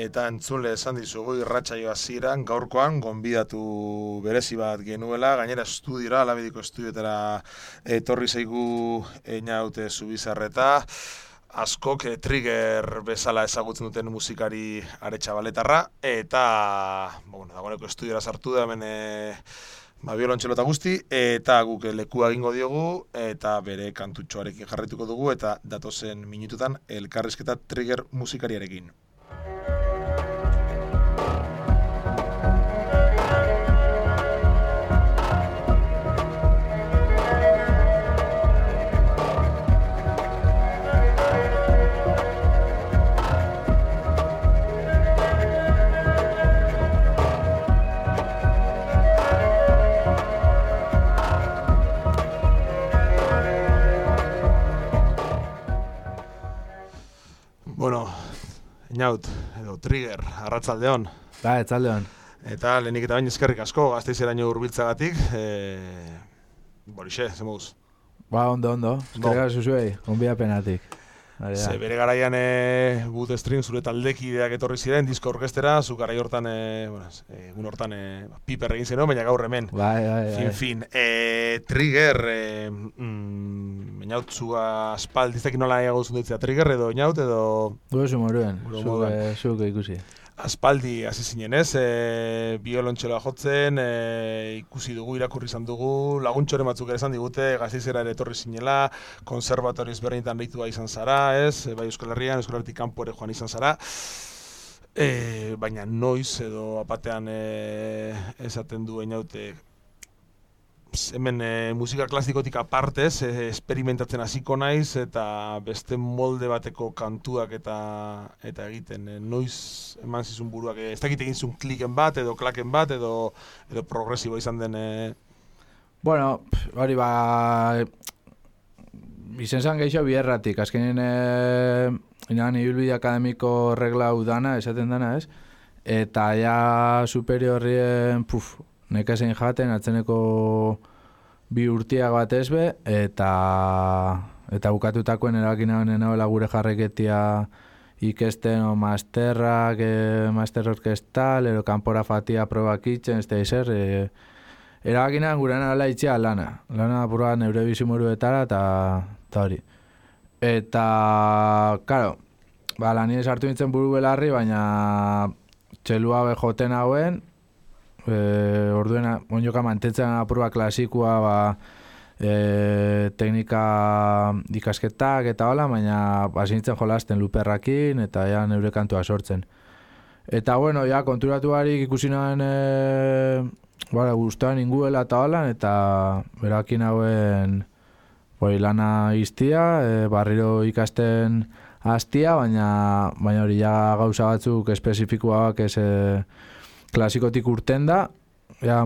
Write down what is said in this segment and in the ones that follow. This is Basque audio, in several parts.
eta entzule esan dizugu irratsaio hasieran gaurkoan gonbidatu berezi bat genuela, gainera estudiora, Alabediko estudioetara etorri zaigu Einaute Zubizarreta, askok Trigger bezala ezagutzen duten musikari Aretxabaletarra, eta dagoeneko estudiora sartu da hemen biolontxelo eta guzti, eta guk lekua egingo diogu, eta bere kantutxoarekin jarraituko dugu, eta datozen minututan elkarrizketa Trigger musikariarekin. Einaut, edo Trigger, arratsaldeon. Ba, etzaldeon. Eta lehenik eta bain eskerrik asko, Gasteizeraino hurbiltzagatik. Borixe, zemuz? Ba, ondo. Eskerrik asko zuei, gonbidapenatik. Ze bere garaian Bootstream zure taldekideak etorri ziren, disko orkestera, zu garai hortan, egun hortan piper egin zenuen, baina gaur hemen. Bai. Fin. Trigger, Einaut zua aspaldiztekin nola egozun ditzea Trigger edo Einaut edo... Guezu moruen, zuke ikusi. Aspaldi hasi zinen ez, biolontxeloa jotzen, ikusi dugu, irakurri izan dugu, laguntxoren batzuk ere izan digute, Gasteizera ere etorri zinela, konservatoriz berrinetan deitua izan zara, ez, bai Euskal Herrian, Euskal Herritik kanpo ere joan izan zara, baina noiz edo apatean esaten du Einaute, hemen musika klasikotik apartez, esperimentatzen hasiko naiz eta beste molde bateko kantuak eta egiten. Noiz eman zizun buruak, ez dakit egin zuen kliken bat edo klaken bat edo progresibo izan den... Bueno, hori izen zan gehiago bierratik, azkenean inagan ibilbide akademiko regla udana, esaten dana ez, eta ja superiorrien, nekazein jaten, atzeneko bi urtiak bat ezbe, eta bukatutakoen erakin nagoela gure jarreketia ikesten o masterrak, master orkestal, ero kanpora fatia probak itxen, ez da izer, erakin nagoen gure nagoela itxea lana pura neure bizimuruetara eta hori. Eta, karo, lanien sartu nintzen buru belarri, baina txelua bejoten hauen, orduena onjoka mantentzen apurua klasikua teknika ikasketak eta hola, baina bazintzen jolasten luperrakin eta ja neure kantua sortzen. Eta bueno, ja konturatu barik ikusi nahen guztuan inguela eta hola, eta berakin hauen lana iztia, barriro ikasten hastia, baina hori ja gauza batzuk espezifikoak ez klasikotik urten da,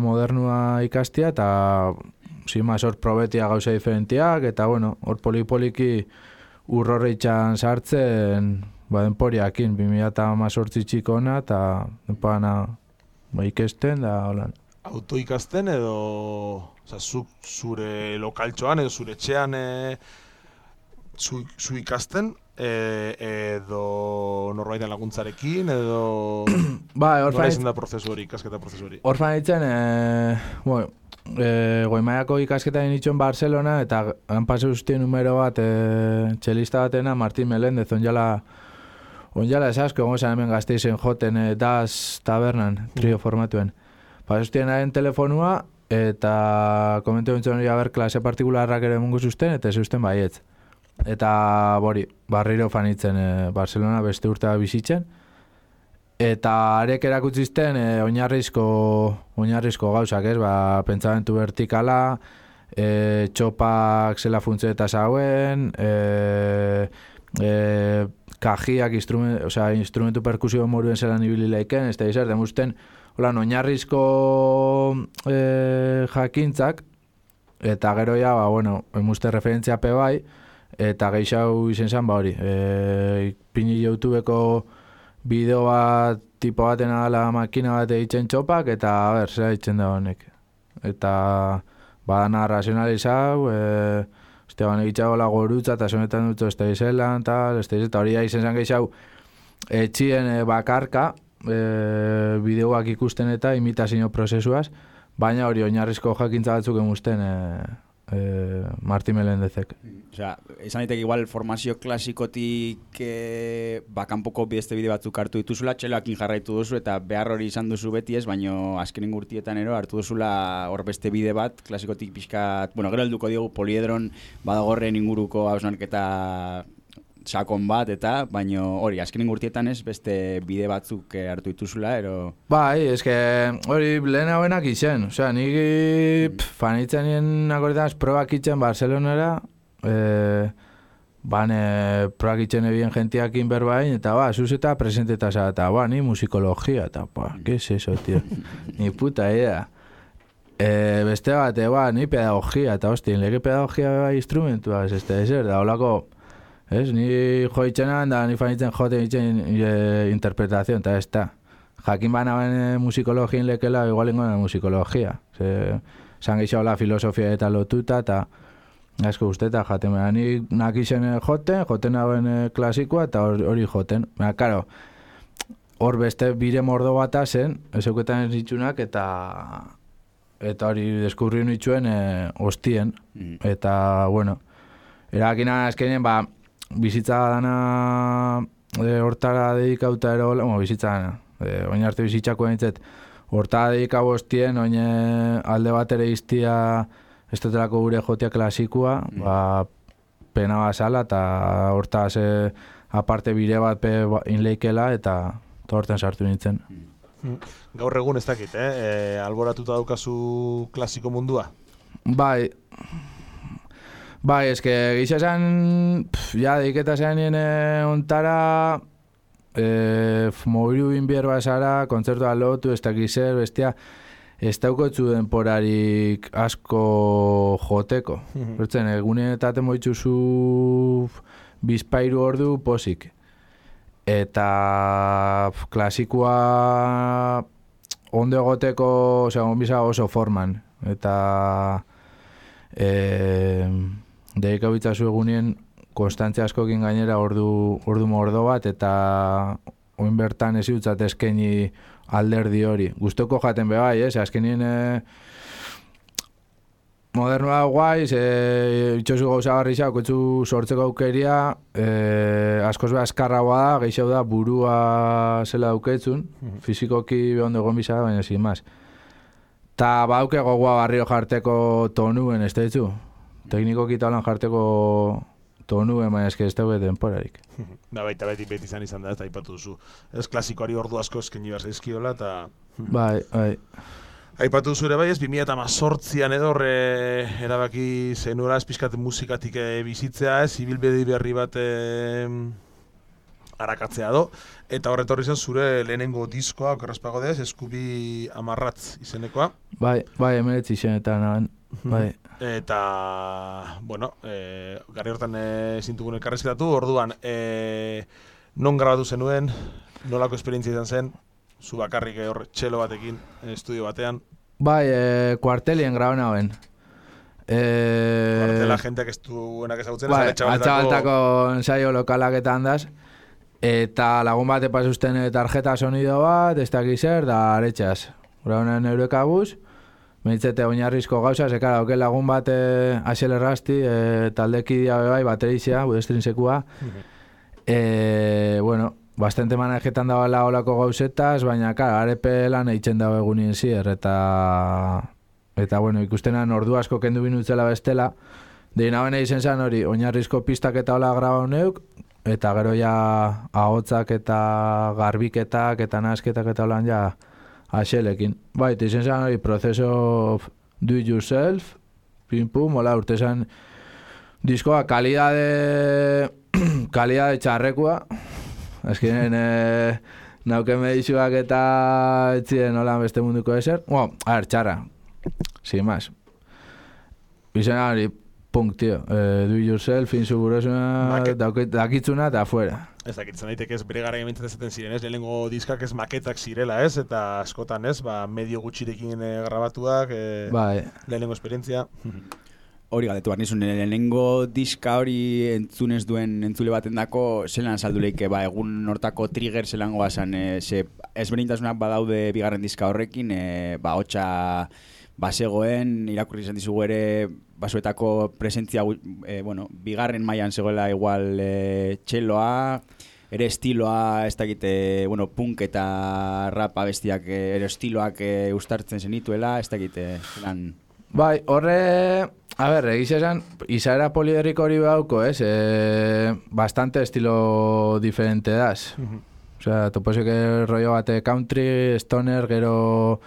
modernua ikastia, eta hor probetia gauza diferentiak, eta hor polipoliki urrorreitxan sartzen denporiakin, 2018 txikona, eta denpana ikesten, da holan. Auto ikasten edo, zure lokaltxoan edo zure etxean zu ikasten, edo norbaiten laguntzarekin, edo... Nola izan da prozesu hori, ikasketa prozesu hori? Orfan ditzen, Goimaiako ikasketa dinitxon Barcelona, eta hanpase ustien numero bat txelista batena, Martin Melendez, onjala esasko, gongo hemen Gasteizen joten Das Tabernan, trio formatuen. Pasustien haren telefonua, eta komentu bintzen hori klase partikularrak ere mungu zuzten, eta zuzten baietz. Eta barriro fanitzen Barcelona beste urtea bizitzen. Eta arek erakutzizten oinarrizko gauzak, ez? Pentsamentu vertikala, txopak zela funtze eta zauen, kajiak, instrumentu perkusio moruen zelan ibili leiken, ez da izan, demusten, oinarrizko jakintzak, eta gero ja, emuste referentzia pe bai, eta geixau izen zen, pini YouTubeko bideo bat, tipo baten adala makina bat egiten txopak, eta zera egiten da honek. Eta badana razionalizau, egitxago la gorutza, eta sonetan dutzu ez da izelan, eta hori da izen zen geixau etxien bakarka, bideoak ikusten eta imitazio prozesuaz, baina hori oinarrizko jakintza batzuk emusten Martin Melendezek. Osea, esan daiteke igual formazio klasikotik kanpoko beste bide batzuk hartu dituzula, txeloakin jarraitu duzu eta behar hori izan duzu beti ez, baina azkenen urtietan hartu duzula hor beste bide bat, klasikotik pixkat, bueno, gero helduko diogu Poliedron badagorren inguruko hausnarketa sakon bat eta, baina hori, azkenen urtietan ez, beste bide batzuk hartu dituzula, ero... Bai, eske hori lehen hauenak izen, osea, nik fanitzen nien akordetan probak itzen Barcelonara, probak itzen ebien gentiakin berbain, eta zuzeta presenteta eta ni musikologia, eta ¿qué es eso, tío? Ni puta idea. Beste bat, ni pedagogia, eta hostia, lege pedagogia instrumentua, ez ezer, da holako... Ez, ni joitzenan da ni fanitzen joten itzen interpretazion, eta ez da. Jakin banaben musikologien lekela, igual ingoen musikologia. Zan geixau la filosofia eta lotuta, eta asko usteta jaten. Ni nakisen joten hauen klasikoa, eta hori joten. Karo, hor beste bire mordo bata zen, ezeuketan ez ditzunak, eta hori deskurri nituen hostien. Eta, bueno, erakina azkenien, bizitza dana hortara dedikauta ero, bizitza dana, oin arte bizitzako nintzet, hortara dedikau hostien, oin alde bat ere iztia ez dutelako gure jotia klasikua, pena basala, eta hortaz aparte bire bat inleikela, eta horten sartu nintzen. Gaur egun ez dakit, alboratuta daukazu klasiko mundua? Bai, eske gisa esan, deiketa zean nien ontara, mobilu inbier basara, kontzertua lotu, ez dakizer, bestia, ez daukotzu denporarik asko joteko. Bertzen, egunen eta temoitzuzu bizpairu ordu posik. Eta klasikoa ondo egoteko, onbiza oso forman. Eta deikabitzazu egunien konstantzia askokin gainera ordu mordo bat, eta oin bertan ez utzat eskeni alderdi hori. Gustoko jaten bebai, azkenien modernoa guai, itxosu gauza barri kotzu sortzeko aukeria, askoz beha askarra da, geixau da burua zela dauketzun, fizikoki behondo egon bizara, baina sin maz. Ta bauke gogoa barrio jarteko tonuen, ez da ditzu? Teknikoki talan jarteko tonuen, baina eske ez daue denporarik. Baita beti izan da, eta aipatu duzu. Ez klasikoari ordu asko eskeni behar zaizkiola, eta... Bai. Aipatu duzu ere bai, ez 2018an edo erabaki zenuela ez pixkat musikatik bizitzea, ez ibilbide berri bat arakatzea do, eta horretorri zen zure lehenengo diskoa, okerrazpago dez, Eskubi Amarratz izenekoa. Bai, emeretzi izenetan naben, bai. Eta, bueno, garri hortan zintugun elkarrezketatu, orduan, non grabatu zenuen, nolako esperientzia izan zen, zu bakarrik hor txelo batekin, estudio batean? Bai, kuartelien graban naben. Kuartela jenteak ez duenak ezagutzen, bai, atxabaltako ensaio lokalak eta handaz, eta lagun bat epasusten tarjeta sonido bat, ez dakiz zer, da aretxaz. Grabanen eurekabuz, menitzete oinarrizko gauza, zekara, oke lagun bat Axel Errasti, taldekidia bebai, baterizia, budestrinsekua. Bueno, bastante manejetan dagoela olako gauzetaz, baina, kara, arepe lan eitzen dago egunien zier, eta bueno, ikustenan ordu asko kendu binutzela bestela, deina bene izen zan hori, oinarrizko pistak eta hola grabau neuk, eta gero ja ahotzak eta garbiketak eta nasketak eta holan ja Axelekin. Bai, izen zan hori, proceso do it yourself, pim-pum, hola, urte zan diskoa kalidade txarrekua, azkenen nauken medizuak eta etzien hola beste munduko ezer, txarra, sin más. Izen hori, punk, tío, do it yourself, insegurosuna, dakitzuna eta afuera. Ez dakitzen daiteke ez bere gara gemintzen ezaten ziren, ez, lehenengo diskak ez maketak zirela, ez, eta askotan ez, medio gutxirekin grabatuak, bai. Lehenengo esperientzia. hori galdetu behar nizun, lehenengo diska hori entzunez duen entzule baten dako, zelan salduleike, egun hortako trigger zelan goazan, ze ezberdintasunak badaude bigarren diska horrekin, hotxa basegoen, irakurri izan dizugu ere, basuetako presentzia, bigarren mailan zegoela igual txeloa, ere estiloa, ez dakite, punk eta rap abestiak, ere estiloak ustartzen zenituela, ez dakite, zelan... Bai, horre, egiz esan, izaera poliedriko hori bauko, bastante estilo diferente das. Osea, topozik rollo bate country, stoner, gero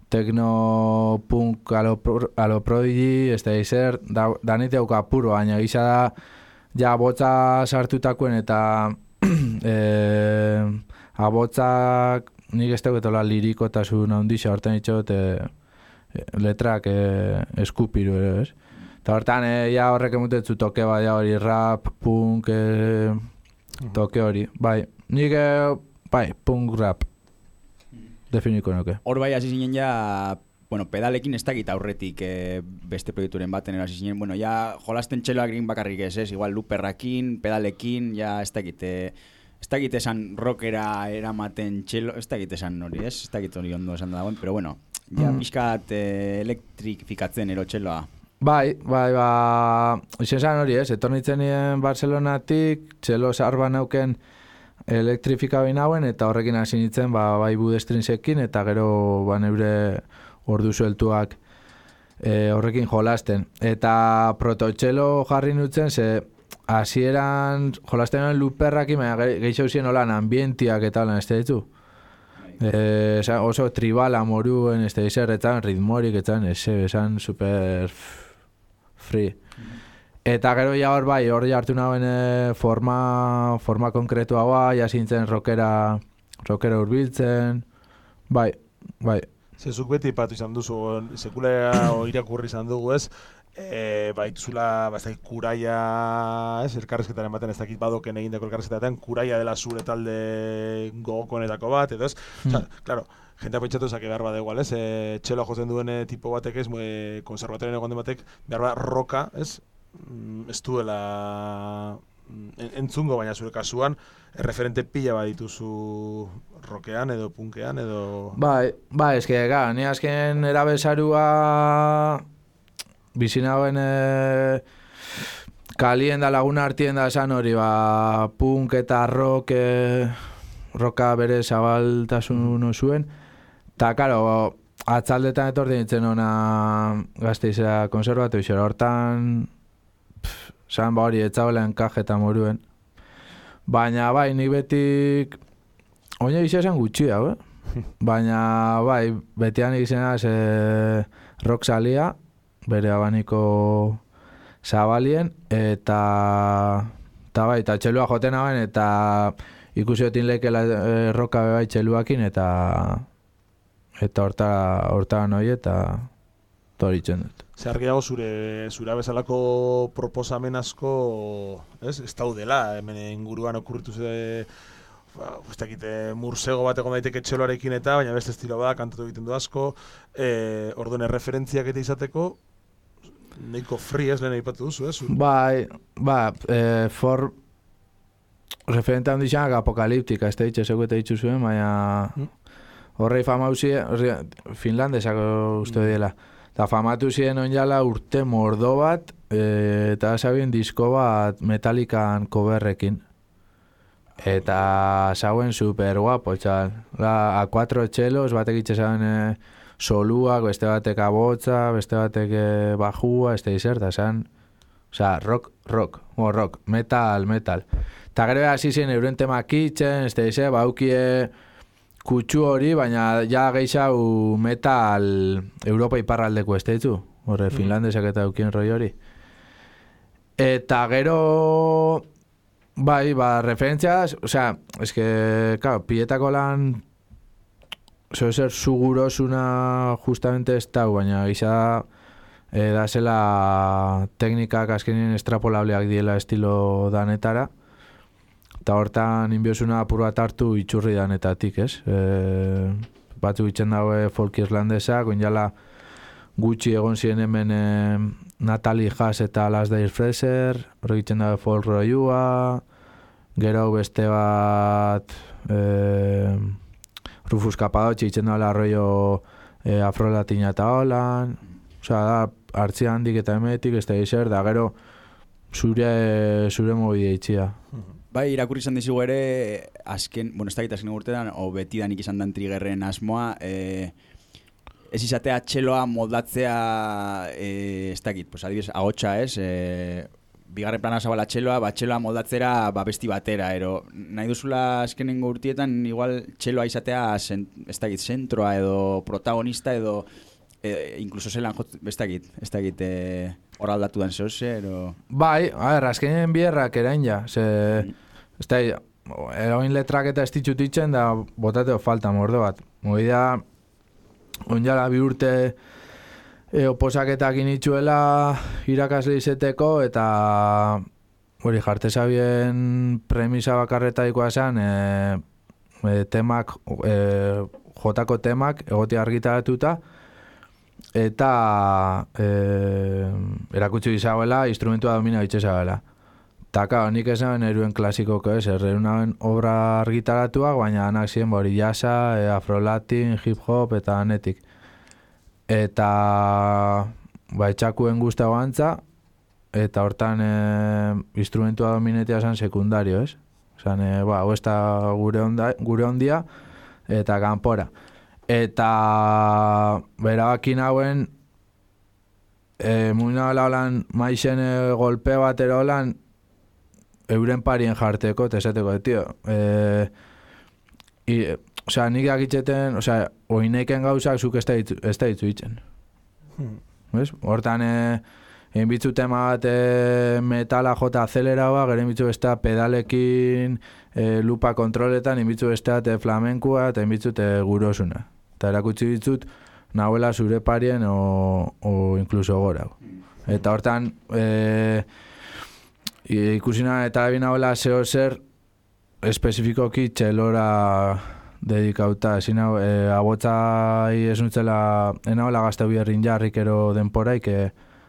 techno, punk, a lo Prodigy, izer, danit dauka puro, baina gisa da, ja, botza sartutakoen eta abotzak nik ez dauketola lirikotasun handixa, horten itxot, letrak eskupiru ere, ez? Eta hortan, ja horrek emutetzu toke bat, ja hori rap, punk, toke hori. Bai, nik, punk rap, definiko nuke. Hor bai, hasi zinen ja, pedalekin ez dakit aurretik beste proiekturen baten hasi zinen, ja jolasten txeloak egin bakarrik ez, igual luperrakin, pedalekin, ja ez dakit esan rockera eramaten txelo, ez dakit esan hori, ez dakit hori ondo esan dagoen, pero ja pixkat elektrifikatzen ero txeloa. Bai, izan zan hori ez, etornitzen nien Barcelonatik, txelo zarba nauken elektrifika behin hauen, eta horrekin hasi nintzen, bai budestrinsekin, eta gero neure ordu sueltuak horrekin jolasten. Eta prototxelo jarri nutzen, ze hasieran jolasten luperrakin, gehiago zien holan ambientiak eta holan, ez da ditu? Oso tribala moruen, ez da izer, etzan ritmorik, etzan super free. Eta gero ja hor bai, hor jartu nahuen forma konkretua bai, jasintzen rockera urbiltzen, bai. Zezuk beti ipatu izan duzu, sekulea irakurri izan dugu ez, baituzula kuraia, elkarrezketaren baten ez dakit badoken egindako elkarrezketaren, kuraia dela zure talde gogokonetako bat, edo ez? Claro, jentea pentsatu ezak behar bat egual, ez? Txeloa jotzen duen tipo batek ez, konservatorien egon den batek, behar bat roka, ez? Ez duela entzungo, baina zure kasuan, referente pila bat dituzu rockean edo punkean edo... Bai, eske, ni azken erabezarua bizinauen kalien da laguna hartien da esan hori, punk eta rocka bere zabaltasun zuen, eta, karo, atzaldetan etorri nintzen ona Gasteizera konserbatu izera, hortan zan hori etzaola enkajeta moruen. Baina bai, nik betik oina izan gutxi hau, baina bai, betian izanaz rock salia, bere abaniko zabalien, eta bai, eta txelua joten hauen, eta ikusi otin lekela roka bebai txeluakin, eta hortan hoi, eta horitzen dut. Zer gehiago zure bezalako proposamen asko ez daudela, hemen inguruan okurritu ez dakite mursego bat egon daiteke txeloarekin eta, baina beste estilo bat, kantatu egiten du asko, orduan erreferentziak eta izateko, nahiko free ez lehen aipatu duzu, ez? Bai, referente handizak apokaliptika, ez da ditxe zego eta ditzu zuen, baina horrei famauzi, finlandesako uste dela. Eta famatu ziren onjala urte mordo bat, eta zabien disko bat Metallican coverrekin. Eta zauen super guapo, txal. A 4 txelos, batek itxesan soluak, beste batek abotza, beste batek bajua, ez da izerta, zan. Osa, rock, metal. Eta gero hasi zen euren temak itxen, ez da izan, baukie kutsu hori, baina ja gehiago metal Europa iparraldeko ez da ditu. Horre, finlandesak eta eukien roi hori. Eta gero... Bai, referentziaz, osea, eske, claro, piletako lan ser segurosuna justamente ez da, baina gisa da zela teknikak azkenien extrapolableak diela estilo danetara, eta hortan inbiosuna apur bat hartu itxurri danetatik, ez? Batzu itxen daue folk irlandesak, oinala gutxi egon ziren hemen Natalie Haas eta Alasdair Fraser, hori egiten da folk rollua, gero beste bat Rufus Capadocci egiten da rollo afrolatina eta holan, osea da, hartzia handik eta emetik, ez da izer, da gero zure mobidea itxia. Bai, irakurri izan dizugu ere, azken urtean, o betidanik izan dan Triggerren asmoa, ez izatea txeloa moldatzea, ez dakit, pues adibidez, ahotsa ez, bigarren plana zabala txeloa, txeloa moldatzera besti batera, ero nahi duzula azkenengo urtietan, igual txeloa izatea, ez dakit, zentroa edo protagonista edo, incluso zelan, ez dakit, hor aldatu dan zehoze, ero... Bai, azkenen bierrak erain ja, ez da, eroin letrak eta ez ditxutitzen da botateo falta mordo bat. Moida, onjala bi urte oposaketak initzuela irakasle izeteko eta hori jartezabien premisa bakarretaikoa esan temak, jotako temak egoti argitaratuta eta erakutsi izabela instrumentua domina bitxezabela. Taka, nik esan eruen klasikoko ez, erreunaren obra argitaratuak, baina anak ziren hori jasa, afrolatin, hip-hop eta anetik. Eta etxakuen guztago antza, eta hortan instrumentua dominetia esan sekundario, ez? Esan, hau ez da gure ondia, eta kanpora. Eta berabakin hauen, muina holan maixen golpe bat erolan, euren parien jarteko, eta esateko, tio, osea, nik akitxeten, osea, oineiken gauzak zuk ez da ditzu itzen. Hortan, enbitzu tema bat metala jota azeleraua, gero enbitzu besta pedalekin, lupa kontroletan, enbitzu besta flamenkua, eta enbitzu gurosuna. Eta erakutsi ditzut, nahuela zure parien o inkluso gora. Eta hortan, ikusina eta ebin hauela zeo zer espezifikoki txelora dedikauta. Ezin hau, abotzai ez nutzela, enauela gazteu bierrin jarrik ero denporaik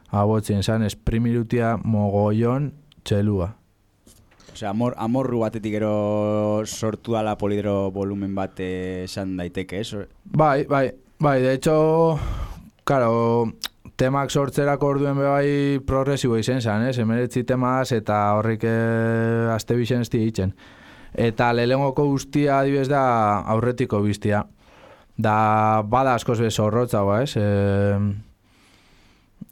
abotzien zan, esprimirutia mogollon txelua. Osea, amorru batetik ero sortu dala polidro volumen bat esan daiteke, ez? Bai, de hecho, claro, temak sortzerako orduen bai progresibo izen zan, emeretzi temaz eta horrik azte bixen ez ditzen. Eta lehenengoko guztia adibidez da aurretiko biztia. Da bada askoz bez horrotza,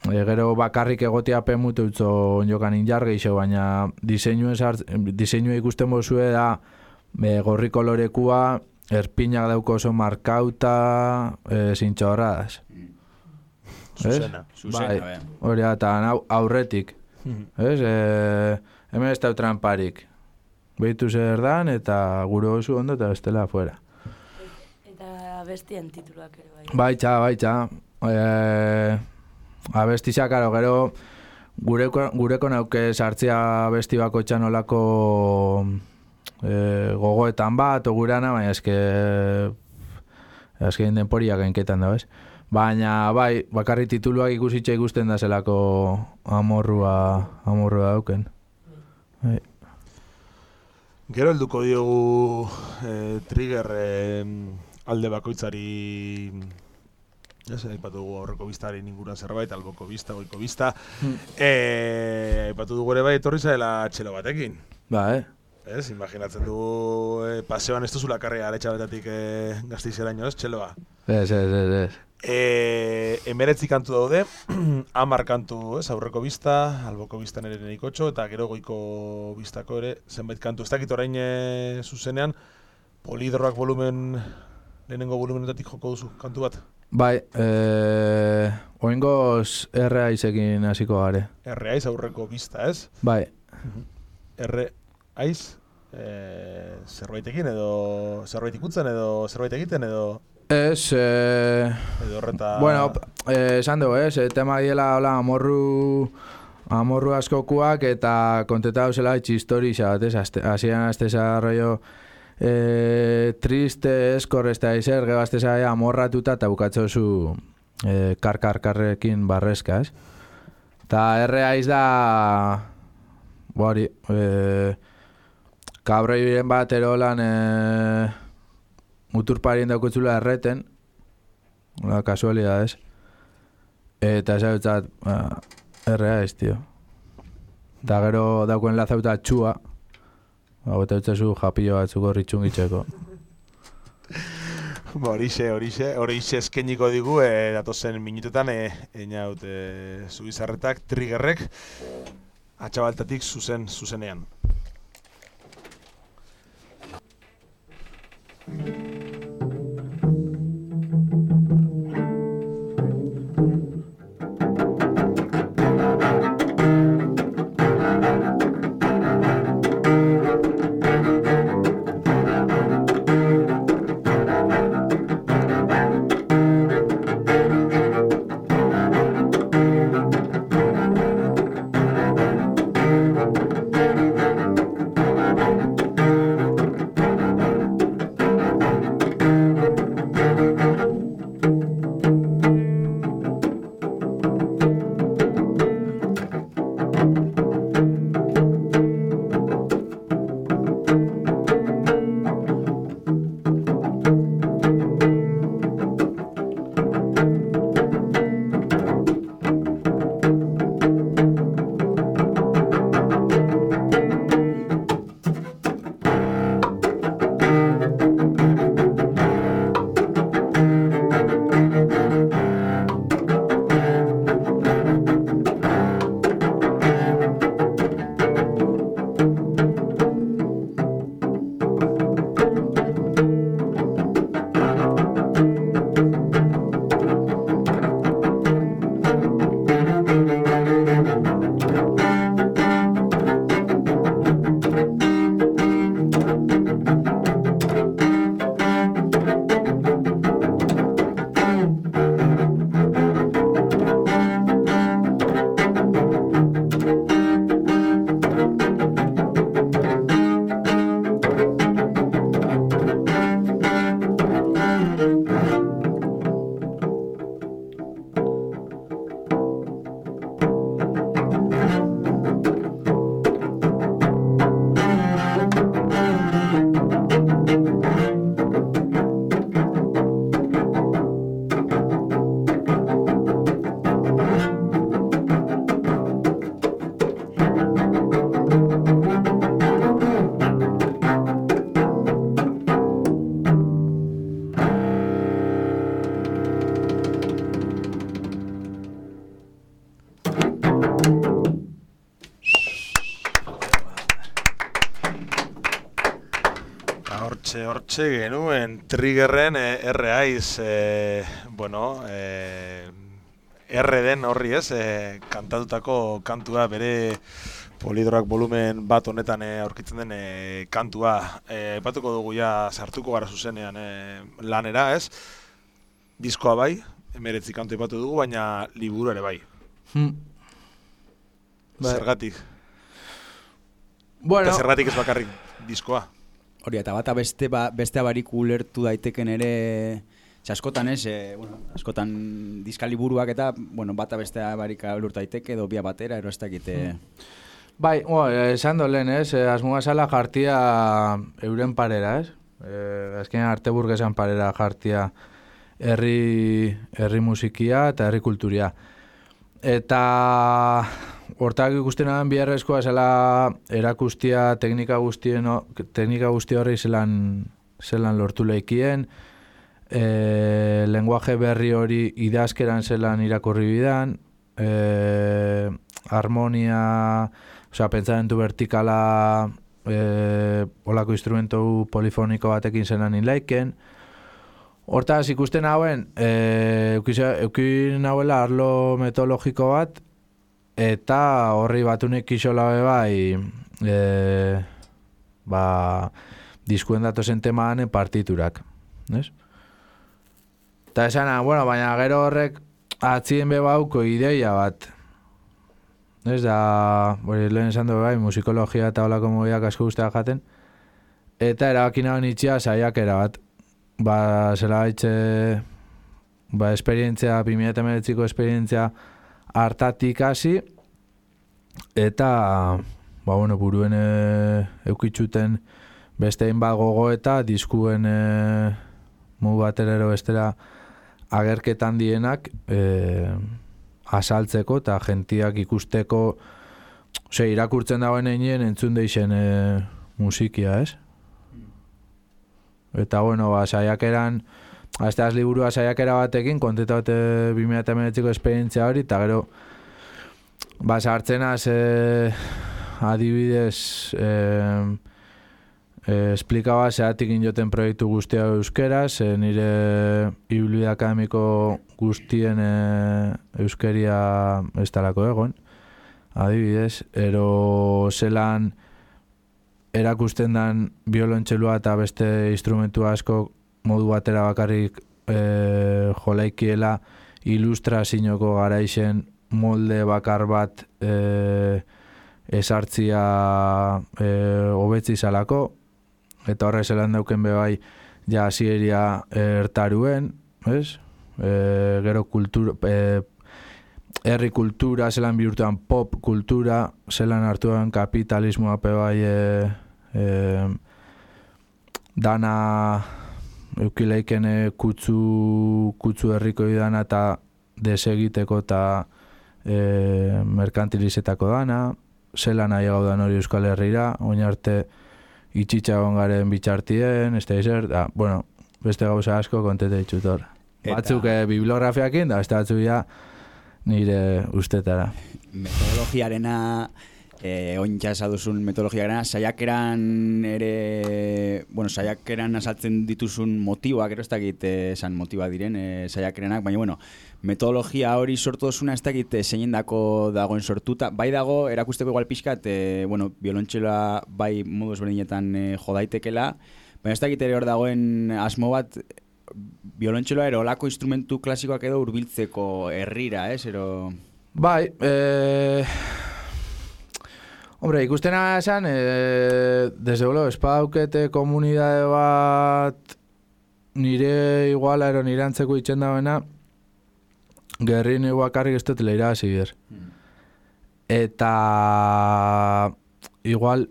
gero bakarrik egotia pemutu utzo jokan injar geixo, baina diseinua ikusten bozue da gorri kolorekua, erpinak dauko oso markauta, zintxorradas. Zuzena. Bai, hori eta aurretik. Hemen ez dau tramparik. Behitu zer dan eta gure oso ondo eta bestela afuera. Eta abestien tituluak ere bai. Baitxa. Abestizia, karo, gero gureko nauke sartzea abesti bako txanolako gogoetan bat, ogurana, baina eske denporiak enketan da, bez? Baina, bai, bakarri tituluak ikusitxe ikusten da zelako amorrua dauken. Bai. Gero helduko diogu Trigger alde bakoitzari, aipatu dugu aurreko bistaren inguruan zerbait, alboko bista, goiko bista. Aipatu dugu ere bai etorri zaela txelo batekin. Ez, imaginatzen dugu paseoan ez duzula karria aletxabetatik Gasteizeraino, ez, txeloa? Ez. Emeretzi kantu daude, 10 kantu, ez, aurreko bista, alboko bistan ere neikotxo, eta gero goiko bistako ere zenbait kantu. Ez dakit orain zuzenean, polidroak lehenengo volumenetatik joko duzu kantu bat? Bai, oingoz R-aizekin hasiko gare. R-aiz aurreko bista, ez? Bai. R-aiz zerbaitekin edo zerbait ikutzen edo zerbait egiten edo... Ez, edo horreta... Bueno, esan dugu, tema diela hola amorru askokuak eta konteta dauzela txistori bat, hasieran azteza rollo triste, eskor, ez da izer, gero azteza amorratuta eta bukatzo zu karrekin barrezka, ez? Ta R.A.iz da, hori, kabroiren bat erolan muturparien daukutzula erreten, kasualidades, eta esagutzat, R.A.iz, tio. Da gero daukuen lazauta txua, eta utzazu japillo batzuko ritxungitzeko. Horixe eskeniko digu, datozen minutetan, einaut Zubizarretak, Triggerrek, atxabaltatik zuzenean. Hortxe genuen Triggerren R.A.iz, R den horri ez, kantatutako kantua bere Polidroak volumen bat honetan aurkitzen den kantua. Epatuko dugu ja sartuko gara zuzenean lanera ez, diskoa bai, 19 kantu epatu dugu, baina liburu ere bai. Zergatik? Eta zergatik ez bakarrik diskoa? Hori, eta bata bestea barik ulertu daiteken ere, askotan ez, askotan diskaliburuak eta, bata bestea barik ulertu daiteke, edo bia batera, ero ez dakite. Bai, esan dolen ez, asmoa zala jartia euren parera ez, azkenean Arteburgesan parera jartia herri musikia eta herri kulturia. Eta hortak ikusten adan biharrezkoa zela erakustia teknika guzti horri zelan lortu lehikien, lenguaje berri hori idazkeran zelan irakurri bidan, harmonia, pentsamentu vertikala, olako instrumentu polifoniko batekin zelan inlaiken. Hortaz ikusten hauen, eukin hauela arlo metodologiko bat, eta horri batunek isola bai, diskuen datozen temanen partiturak. Eta esana, baina gero horrek atzien bebauko ideia bat. Ez da, lehen esan du bai, musikologia eta holako mobiak asko guztiak jaten, eta erabakina honitxia saiakera bat. Zela haitxe, esperientzia, 2019ko esperientzia hartatik hasi, eta buruen eukitxuten beste hainbat gogo eta diskuen modu baterero bestera agerketan dienak asaltzeko eta gentiak ikusteko irakurtzen dagoen einien entzun deixen musikia, ez? Eta saiakeran azteaz liburua saiakera batekin kontetaute 2019ko esperientzia hori eta gero sartzenaz adibidez esplikaba zeatik injoten proiektu guztia euskeraz, nire ibilbide akademiko guztien euskeria ez talako egon, adibidez, ero zelan erakusten dan biolontxelua eta beste instrumentu asko modu batera bakarrik jolaikiela ilustrazinoko garaixen molde bakar bat esartzia hobetzi zalako, eta horre zelan dauken bebai ja hasieria ertaruen, ez? Gero kultura, herri kultura, zelan bihurtuan pop kultura, zelan hartuan kapitalismoa bebai dana eukileiken kutsu herriko dana eta desegiteko eta merkantilizetako dana, zelan nahi gaudan hori Euskal Herrira, oin arte itxitxagon garen bitxartien, ez da izer, beste gauza asko kontete ditut hor. Batzuk bibliografiakin, da beste batzuk ja nire ustetara. Metodologiarena, ointxa esaduzun metodologiarena, saiakeran ere, saiakeran asaltzen dituzun motiboak, ez dakit esan motiba diren saiakerenak, baina, metodologia hori sortu duzuna ez dakit zeinendako dagoen sortuta. Bai dago, erakusteko igual pixkat, biolontxeloa bai modu ezberdinetan jodaitekela, baina ez dakit ere hor dagoen asmo bat, biolontxeloa ero olako instrumentu klasikoak edo hurbiltzeko herrira, ero... Bai, hombre, ikustena esan, desde luego, espadaukete komunidade bat nire iguala ero nire antzeko itxen dagoena, gerri nire bakarrik ez dut leira hasi ber. Eta igual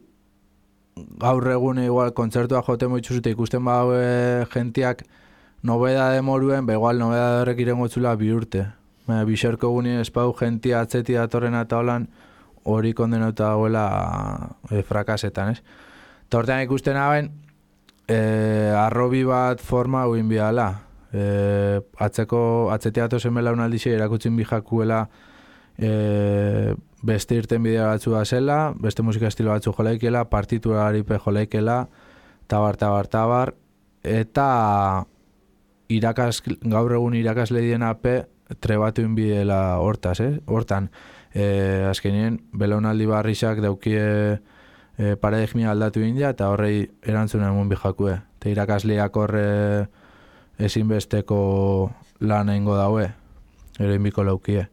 gaur egune igual kontzertua jote moitzuzute ikusten badaue gentiak nobedade moruen, igual nobedade horrek irengotzula bi urte. Bixerko guni espau gentia atzeti datorrena eta holan hori kondenauta dagoela frakasetan, ez? Tortean ikusten hauen arrobi bat forma huin bihala. Atzetea tozen belaunaldixe erakutzen bijakuela beste irten bidea batzu da zela, beste musika estilo batzu jolaikela, partitura haripe jolaikela, tabar, eta gaur egun irakasle dien ape trebatu inbidela hortaz, hortan. Azkenien, belaunaldi barrizak daukie paradigmia aldatu india eta horrei erantzuna emun bijakue. Eta irakasleak horre ezinbesteko lan egingo daue, ero inbiko laukie.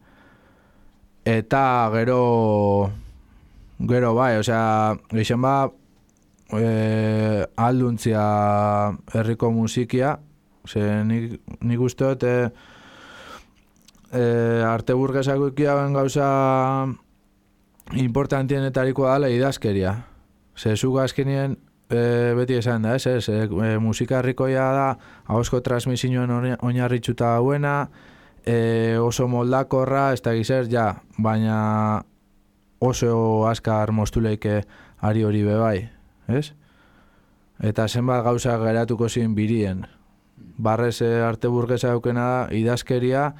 Eta gero bai, geixen ba alduntzia herriko musikia, nik uste dut arte burgesako ikiaben gauza importantienetarikoa dela idazkeria. Zuk azkenien beti esan da, musika herrikoia da, ahozko transmisioen oinarritxuta dauena, oso moldakorra, ez da gizer, baina oso askar mostuleike ari hori bebai, ez? Eta zenbat gauza geratuko zin birien. Barrez arte burgesa daukena da, idazkeria,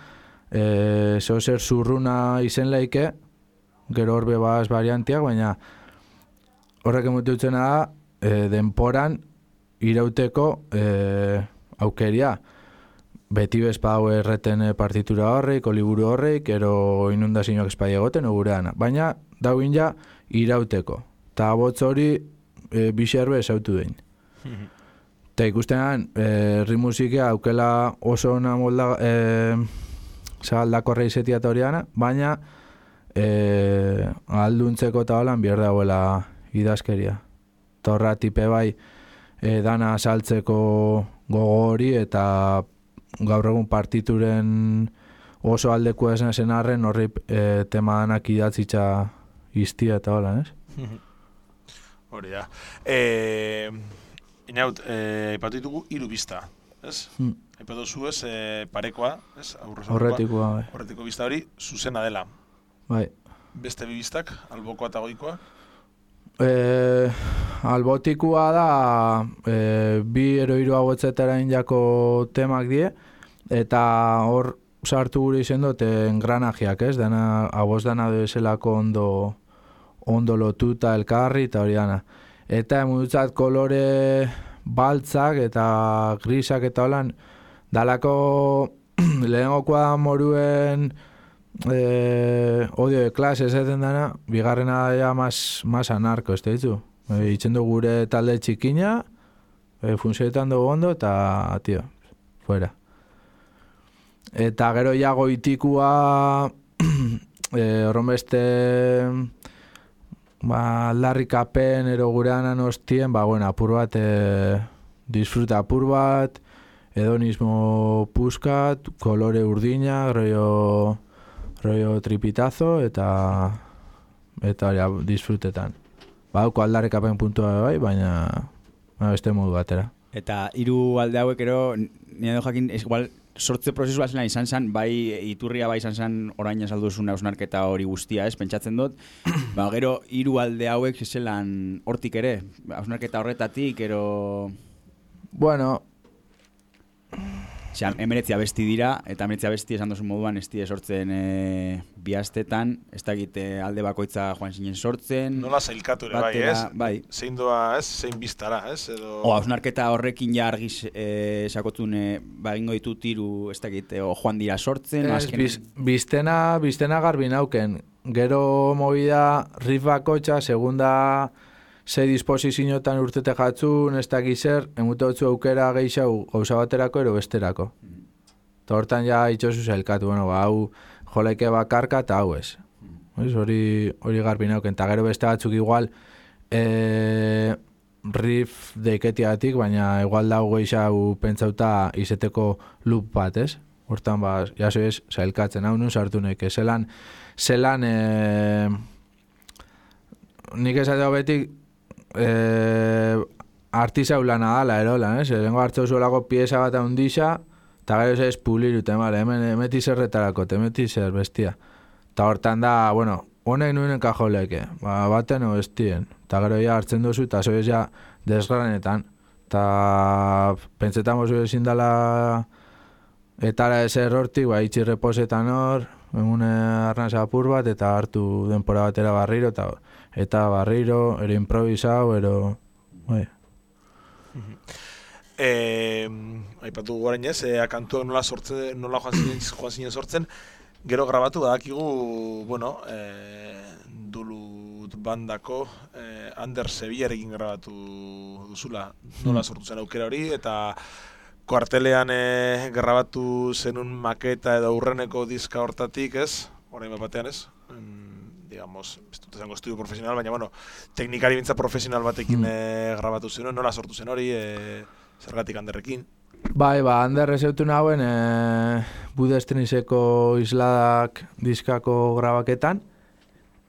zer zurruna izen leike, gero horbe baz variantiak, baina horrek emututzena da, denporan irauteko aukeria. Beti bezpau erreten partitura horreik, oliburu horreik, ero inundazioak espai egoten ogurean. Baina, dauin ja, irauteko. Ta botz hori bixerbe esautu den. Eta ikustenan, herri musikia aukela oso ona molda zabaldakorra izetia eta horiana, baina alduntzeko eta holan bier dagoela idazkeria. Torra tipe bai dana saltzeko gogo hori eta gaur egun partituren oso aldeku esen arren horri tema danak iztia eta hola, ez? Hori da. Inaut, aipatu ditugu 3 bista, ez? Aipatu zu ez, parekoa, ez? Aurretikoa, bai. Aurretiko bista hori, zuzena dela. Bai. Beste 2 bistak, albokoa eta goikoa? Albotikua da, 2 edo 3 agotzetara injako temak die, eta hor sartu gure izen dut engranajeak, ez? Dana, agoz dana dezelako ondo lotuta elkarri eta hori dana. Eta emudutzat kolore baltzak eta grisak eta holan, dalako lehengokoa moruen odio de klase esaten dana, bigarrena da más anarko, ez da ditu? Itzen du gure talde txikina, funtzioetan dugu ondo eta, tio, fuera. Eta gero ja goitikua horren beste aldarrikapen ero gureanan hostien, bueno, apur bat disfruta apur bat, hedonismo puskat, kolore urdina, rollo tripitazo eta ja, disfrutetan. Badauko aldarrikapen puntua bai, baina beste modu batera. Eta 3 alde hauek ero, nire do jakin, igual, sortze prozesua zela izan zen, bai iturria bai izan zen orain azalduzun hausnarketa hori guztia, ez, pentsatzen dut. Gero 3 alde hauek zelan hortik ere, hausnarketa horretatik, ero... Bueno... Osea, 19 abesti dira, eta 19 abesti esan duzun moduan ez dira sortzen bihastetan, ez dakit alde bakoitza joan zinen sortzen. Nola zailkatu ere bai, ez? Bai. Zein doa, ez? Zein biztara, ez? Edo... hausnarketa horrekin ja argiz sakotun egingo ditu 3, ez dakit, joan dira sortzen. Biztena garbi nauken. Gero movida riff bakoitza, segunda... Sei disposizioetan urtete jatzun, ez dakiz zer, emute hotzu aukera geixau gauza baterako ero besterako. Eta hortan ja itxosu zailkatu, bueno, hau joleke bakarka eta hau ez. Hori garbi nauken, eta gero beste batzuk igual riff deiketiatik, baina igual dago geixau pentsauta izeteko loop bat, ez? Hortan jaso ez zailkatzen, hau nun sartu neke, zelan nik esateo betik artisau lana dala erolan, ez? Lengo hartzau zuelako pieza bat handixa, eta gero ez pulirute, emeti zerretarako, emeti zer bestia. Eta hortan da, bueno, honek nuen enkajoleke, baten o bestien. Eta gero ja hartzen duzu, eta zoiz ja desgranetan. Eta pentsetan bozu ezin dala etara ezer hortik, itxi reposetan hor, emune arnaz apur bat, eta hartu denpora batera barriro, eta barriro, ero improvisau, ero... Aipatu guaren ez, kantuak nola joan zinen sortzen, gero grabatu badakigu, bueno, Dulut bandako Ander Sevillarekin grabatu duzula, nola sortu zen aukera hori, eta kuartelean grabatu zenun maketa edo aurreneko diska hortatik, ez? Orain batean, ez? Digamos, ez dut esango estudio profesional, baina, bueno, teknikari bintza profesional batekin grabatu zen, nola sortu zen hori, zergatik Anderrekin? Bai, Ander ezeutu nauen Budestriseko isladak diskako grabaketan,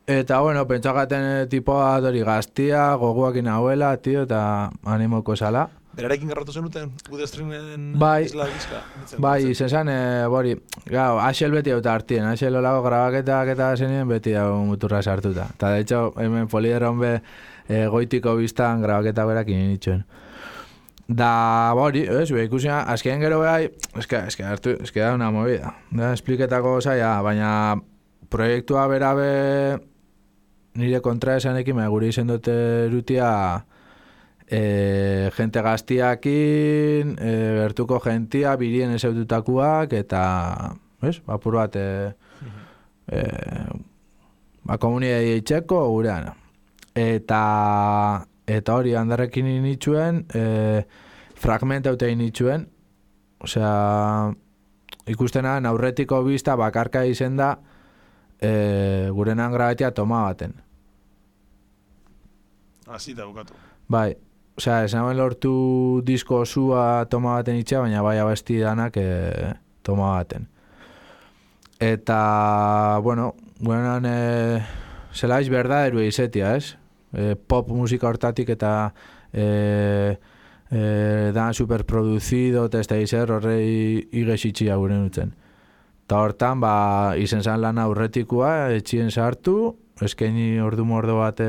eta, bueno, pentsagaten tipoa hori gaztia, goguakin hauela, tio, eta animoko esala. Berarekin grabatu zenuten Budestrinen isla diska? Bai, izan bori, gau, Axel beti hau hartien, Axel olako grabaketak eta zenien beti hau muturra sartuta. Eta, de hecho, hemen Polideron be goitiko biztan grabaketa berakin initxuen. Da, bori, ikusia, azken gero behai, eske da una movida. Da, espliketako zaila, baina proiektua berabe nire kontra esanekin, gure izen dute erutia gente gaztiakin, gertuko gentia, birien ezeututakuak, eta, apur bat, komunidei eitxeko gurean. Eta hori Anderrekin initxuen, fragmentaute initxuen, osea, ikustena aurretiko bista bakarka izen da, gurenan grabatia toma baten. Azita bukatu. Bai. Osea, esan lortu disko osua toma baten itxea, baina bai abesti danak toma baten. Eta, bueno, zelaiz berdaderu izetia, ez? Pop musika hortatik eta dan superproduzido, eta ez da izer horrei igexitxia gure nutzen. Eta hortan, izen zan lan aurretikua, etxien sartu, eskaini ordu mordo bat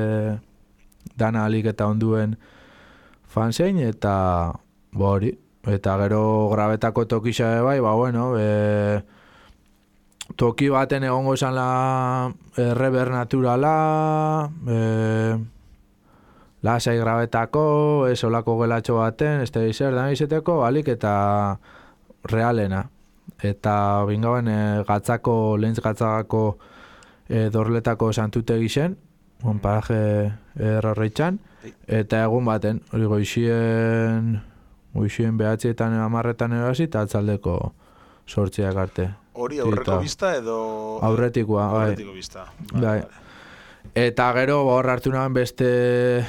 dana alik eta onduen fanzein, eta hori. Eta gero grabetako tokisa bai, bueno, toki baten egongo izan la rever naturala, lasai grabetako, olako gelatxo baten, ez da izer, da izeteko, balik eta realena. Eta bingauen lehentz gatzako dorletako santutegi zen, paraje errorreitzan, eta egun baten, hori goizien behatzietan amarretan erasi, eta atzaldeko sortziak arte. Hori aurreko bista edo... Aurretikoa, bai. Aurretiko bista. Bai. Eta gero hor hartu nahan beste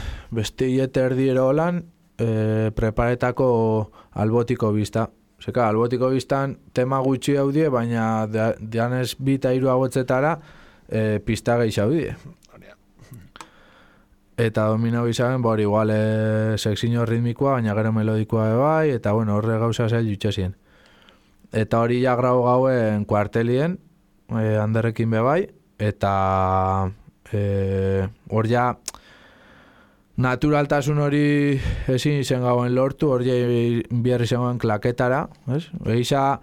hiete erdiero holan preparetako albotiko bista. Zeka, albotiko biztan tema gutxi haudie, baina dianez bita hiru agotzetara pista gehi haudie. Eta dominau izan, igual sexino ritmikoa, baina gero melodikoa bai, eta bueno, horre gauza zail jutxezien. Eta hori ja grau gauen kuartelien, handerrekin bebai, eta hor ja naturaltasun hori ezin izen gauen lortu, hor ja biarri zen klaketara, ez? Egiza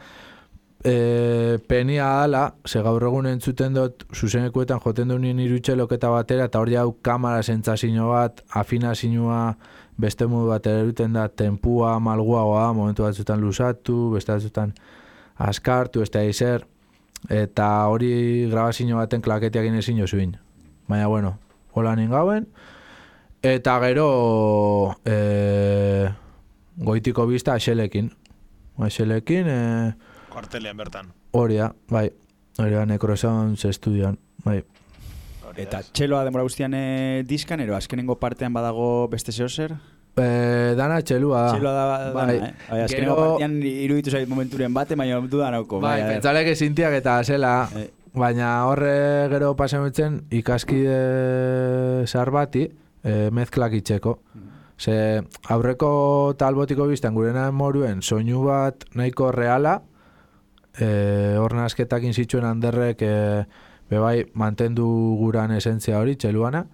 penia dala, ze gaur egun entzuten dut zuzenekuetan joten duen irutxeloketa batera, eta hor ja kamara sentsazio bat, afinazioa beste modu bat eruten da, tempua, malguagoa, momentu batzutan luzatu, beste batzutan askartu, ez da izer, eta hori grabazio baten klaketiak inezin jozuin. Baina, bueno, hola ningauen, eta gero goitiko bista axelekin. Kuartelean bertan. Horia, bai. Horia Necrosounds estudioan, bai. Eta txeloa demora guztian diskan, ero azkenengo partean badago beste zehozer? Dana txelua da. Txelua da, bai. Azkenengo partean iruditu zait momenturen bate, baina dudanauko. Bai, pentsaleak ezintiak eta zela, baina horre gero pasamutzen ikaskide zar bati mezklak itxeko. Ze aurreko talbotiko biztan gurena moruen soinu bat nahiko reala, hor nazketakin zituen handerrek bebai mantendu guran esentzia hori, txeluana.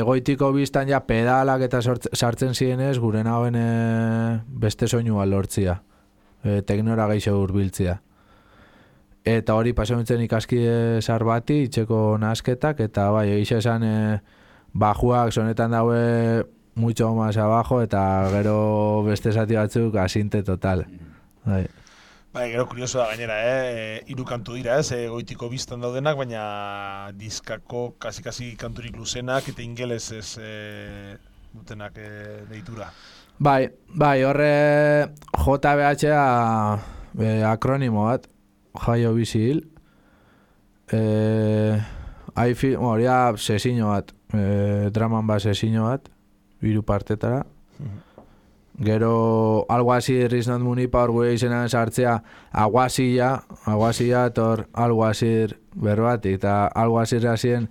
Goitiko biztan ja pedalak eta sartzen zirenez guren hauen beste soinua lortzia, teknora gehiago hurbiltzia. Eta hori pasatzen ikaskide zar bati itxeko nazketak, eta bai, egixe esan bajuak sonetan daue mucho más abajo, eta gero beste zati batzuk asinte total. Bai. Bai, gero kurioso da gainera, hiru kantu dira, goitiko biztan daudenak, baina diskako kasi kanturik luzenak eta ingeles ez dutenak deitura. Bai, horre JBH-a akronimo bat, jaio bizil, hori da sesiño bat, draman bat sesiño bat, hiru partetara. Gero Alguazir Riznot Munipa hor gure izenan sartzea Aguazia etor Alguazir berbatik, eta Alguazir hasien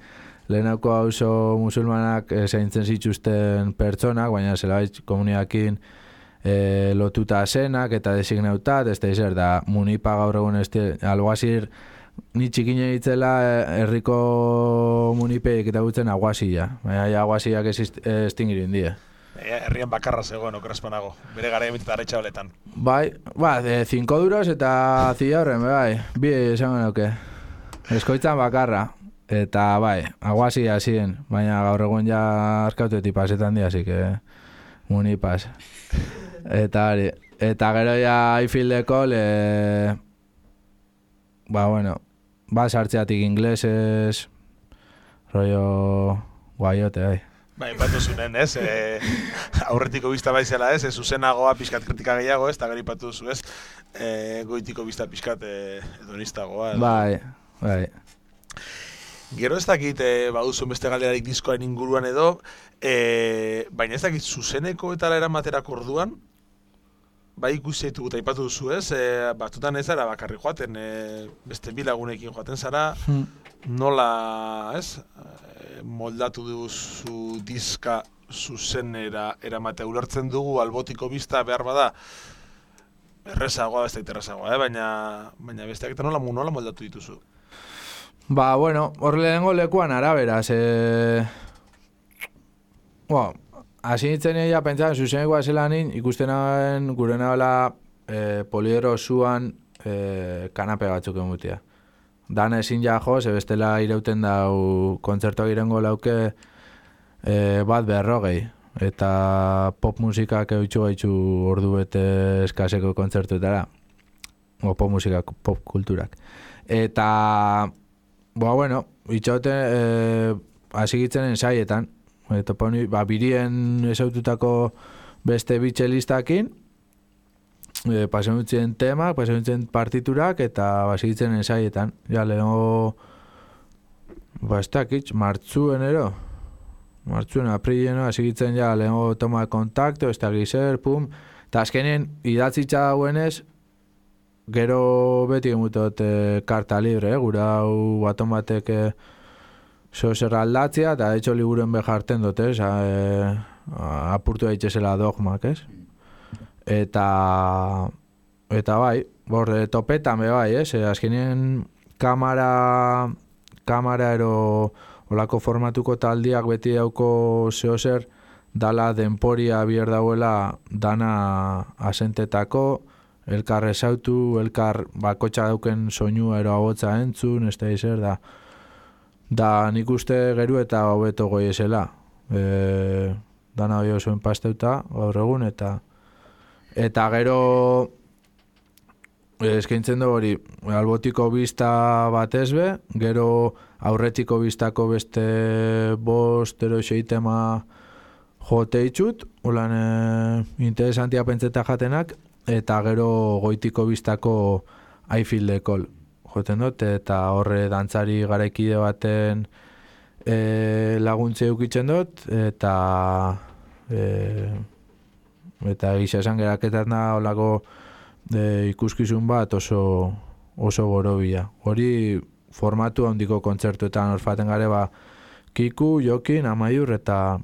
lehenako auzo musulmanak zaintzen zituzten pertsonak, baina zelabait komuniakin lotuta zenak eta designautat, ez da izer da Munipa gaur egun Alguazir ni txikine ditzela herriko Munipeik eta gutzen Aguazia, baina Aguaziak estingirin die. Herrian bakarra zegoen okerrezpanago, bere gara emitet arretxa holetan. Bai, 5 duros eta zila horren, bai, bi esango nuke. Eskoitzan bakarra, eta bai, Aguazia ziren, baina gaur egun ja arkautetik pasetan di, así que Munipas. Eta hori, eta gero ja Aifildeko sartzeatik ingleses, rollo guaiote, bai. Bai, batu zunen, ez? Aurretiko bizta baizela, ez? Zuzenagoa pixkat kritika gehiago, ez? Eta gero ipatu duzu, ez? Goitiko bizta pixkat edonistagoa. Bai. Gero ez dakit baduzun beste galderarik diskoaren inguruan edo, baina ez dakit zuzeneko eta eramaterako orduan, bai ikusi ditugu eta ipatu duzu, ez? Batutan ez zara bakarri joaten, beste bilagunekin joaten zara, nola, ez, moldatu duzu diska zuzenera eramatea. Ulertzen dugu albotiko bista behar bada, errezagoa, beste errezagoa, baina besteak eta nola moldatu dituzu? Ba, bueno, hor lehenengo lekuan araberaz, hasi nintzen ja pentsan, zuzenekoa zelanin, ikusten nagoen gure nabela poliedro zuan kanape batzuk emutia. Dan ezin ja jo, bestela irauten dau kontzertuak irengo lauke bat 40, eta pop musikak eutxu gaitxu ordu bete eskaseko kontzertuetara, o pop musikak, pop kulturak. Eta, bueno, itxauten hasigitzen ensaietan, eta birien esaututako beste bitxelistakin, pasen dutzen temak, pasen dutzen partiturak, eta hasigitzen ensaietan. Ja, lehenko, ez dakit, martzuen, aprilien, hasigitzen ja, lehenko toma de kontakto, ez dakit zer, pum, eta azkenien idatzitza dauenez, gero beti emutot karta libre, gura hau baton batek zer aldatzea, eta etxo liburuen beharten dut, apurtu daitezela dogmak, ez? Eta bai, topetan be bai, azkenien kamara ero olako formatuko taldiak beti dauko zehozer, dala denporia bier dauela dana asentetako, elkar ezautu, elkar bakotxa dauken soinua ero abotza entzun, ez da izer, da nik uste geru eta hobeto goiezela. Dana hoi osoen pasteuta, gaur egun, eta gero eskaintzen du hori albotiko bista bat ezbe, gero aurretiko bistako beste 5 ero 6 tema jote itxut, holan interesantia pentseta jatenak, eta gero goitiko bistako I Feel the Call joten dut, eta horre dantzari garaikide baten laguntze eukitzen dut, eta gisa esan geraketan da olako ikuskizun bat oso borobila. Hori formatu handiko kontzertuetan orfaten gare Kiku, Jokin, Amaiur eta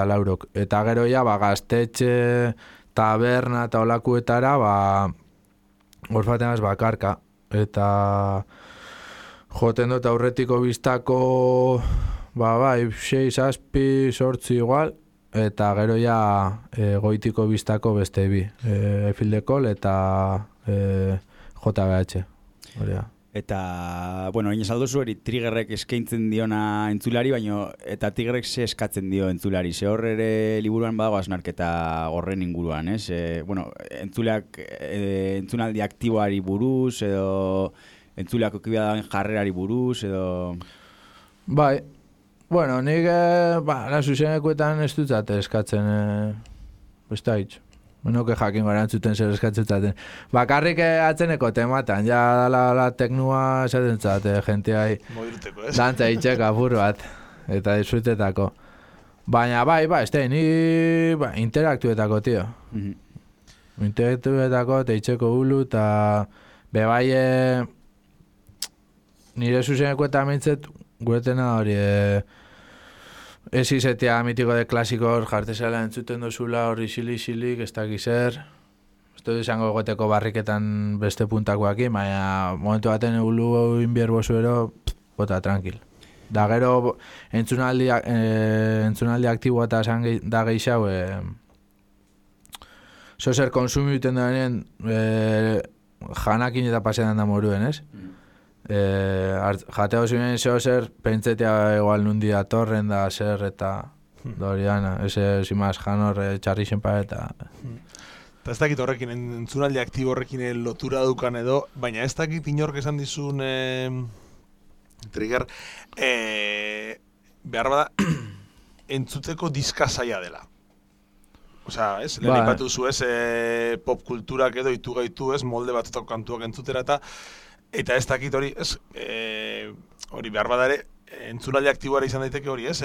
Laurok. Eta gero ja gaztetxe, taberna eta olakuetara orfaten gaz bakarka. Eta joten dut aurretiko biztako 6, 7, 8 igual, eta gero ja goitiko biztako beste bi, Efildekol eta JBH. Eta, bueno, hain esaldozu hori Triggerrek eskaintzen diona entzulari, baino eta Triggerrek ze eskatzen dio entzulari. Ze hor ere liburuan badago hausnarketa horren inguruan, ez? Bueno, entzunaldi aktiboari buruz, edo entzuleak okibia dauen jarrerari buruz, edo... Bai, bueno, nik zuzenekoetan ez dutzate eskatzen, ez da hitz. Benoke jakin gara entzuten zer eskatzen. Bakarrik atzeneko tematan, ja dala teknua esaten zate, jenteai dantza itxek apur bat, eta disfrutetako. Baina bai, ez da, ni interaktuetako, tio. Interaktuetako, teitxeko hulu, eta bebai nire zuzenekoetan mintzet, guretena hori, ez izetea mitiko de klasikor jartezela entzuten dozula hori xili-xilik, ez dakizer. Ez dut izango goteko barriketan beste puntakoak, baina momentu baten egulu inbier bozuero, bota tranquil. Da gero entzunaldi aktiboa eta esan da geixau, zozer konsumiten daren janakin eta pasean da moruen, ez? Jateo ziren zer pentsetea igual nundi atorren da zer eta doriana, ese zimaz janor txarrixen pa eta... Eta ez dakit horrekin, entzunaldi aktibo horrekin lotura dukan edo, baina ez dakit inork esan dizun Trigger, behar bada entzuteko diska zaila dela. Osea, ez, lehen ipatu zu ez, pop kulturak edo itu gaitu ez, molde batutako kantuak entzutera eta ez dakit hori, ez, hori behar badare, entzunaldi aktiboara izan daiteke hori, ez,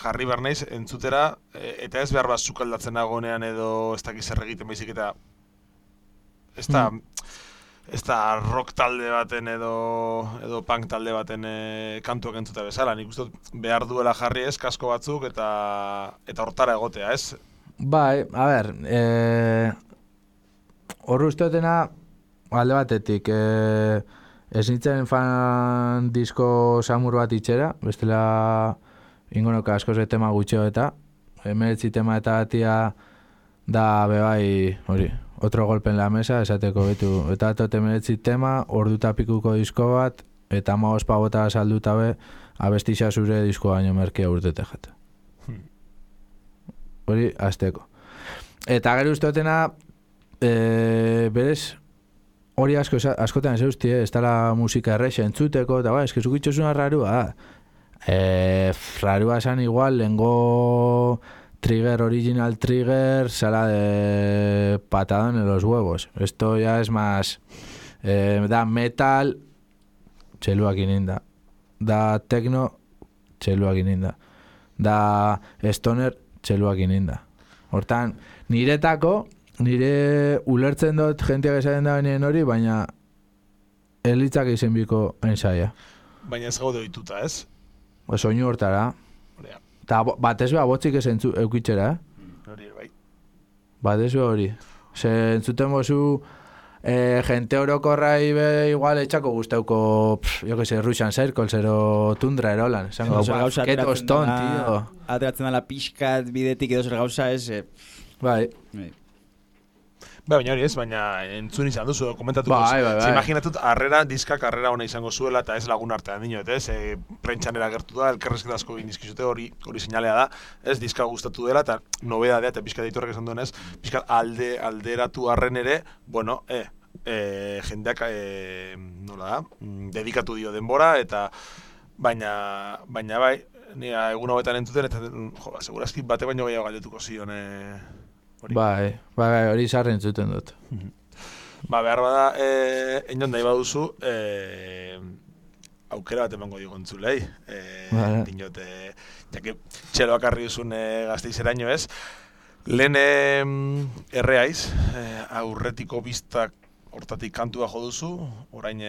jarri behar naiz entzutera, eta ez behar bat sukaldatzen nagonean edo ez dakit zer egiten baizik eta, ez da, ez da rock talde baten edo punk talde baten kantuak entzuta bezala. Nik uste dut behar duela jarri ez, kasko batzuk eta hortara egotea, ez? Bai, a ber, hor usteotena alde batetik, ez nintzen fan disko samur bat itxera, bestela ingonoka askoz tema gutxeo eta 19 tema eta atia da bebai, hori, otro golpe en la mesa, esateko betu, eta tote 19 tema, orduta pikuko disko bat, eta 15 pagota salduta be, abestixa zure disko baino merkea urtete jate. Hori, azteko. Eta gero usteotena, berez, hori askotan ez eusti, ez dala musika errexe entzuteko, eta ez que zukitxosuna rarua, rarua esan igual, lengo trigger, original trigger, sala de patadón en los huevos. Esto ya es más, da metal, txeluak ininda. Da techno, txeluak ininda. Da stoner, txeluak ininda. Hortan, nire ulertzen dut jenteak esaten da benien hori, baina elitzak izen biko ensaia. Baina ez gaude ohituta, ez? Soinu hortara. Eta batez beha botzik ez eukitxera, Hori, bai. Batez beha hori. Ze entzuten bozu gente orokorrai be igual etxako guztauko, jo que se, Russian Circle, zero Tundra erolan. Que toston, tío. Ateratzen dela pixkat bidetik edo zer gauza ez... Bai. Baina hori ez, baina entzun izan duzu, komentatu bai. Imaginatut diskak arrera ona izango zuela eta ez lagun artean dinot, ez? Prentxanera gertu da, elkarrezketa asko egin dizkizute, hori seinalea da, ez? Diska gustatu dela eta nobedadea eta pixka deitorrek esan duenez, pixka alderatu arren ere, bueno, jendeak, nola da, dedikatu dio denbora eta baina bai, nire egun hauetan entzuten eta, segurazki bate baino gehiago galdetuko zion, Bai, hori zarren zuten dut. Behar bada, enion nahi baduzu, aukera bat emango digo entzulei. Dinot, jake txeloak arri duzun Gasteizeraino ez. Lehen erreaiz, aurretiko biztak hortatik kantua jo duzu, orain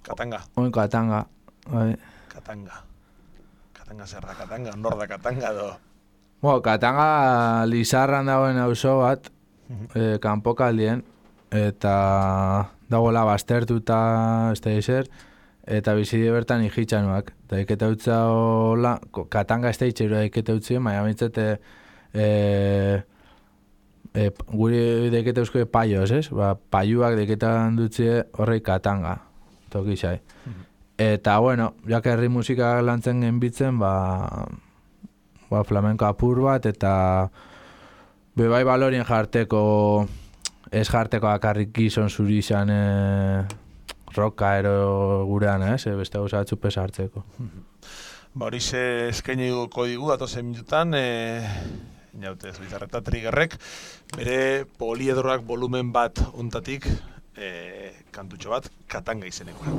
Katanga. Oin Katanga, bai. Katanga zer da Katanga, nor da Katanga do. Katanga Lizarran dagoen auzo bat, kanpokaldien, eta dagoela baztertuta ez da izer, eta bizide bertan ijitxanuak. Eta iketa utza hola, Katanga ez da itxerua iketa utzien, baina bintzete guri deiketa eusko paioz, ez? Paioak deiketan dutzie horrei Katanga, tokizai. Eta, bueno, jak herri musika lantzen genbitzen, flamenko apur bat, eta bebai balorien jarteko, ez jarteko akarrik gizon zuri izan roka ero gurean, beste gauza batzu pesa hartzeko. Hori eskaini digu, datozen minutan, jaute Zubizarreta Triggerrek, bere poliedroak volumen bat ontatik, kantutxo bat, Katanga izenekoa.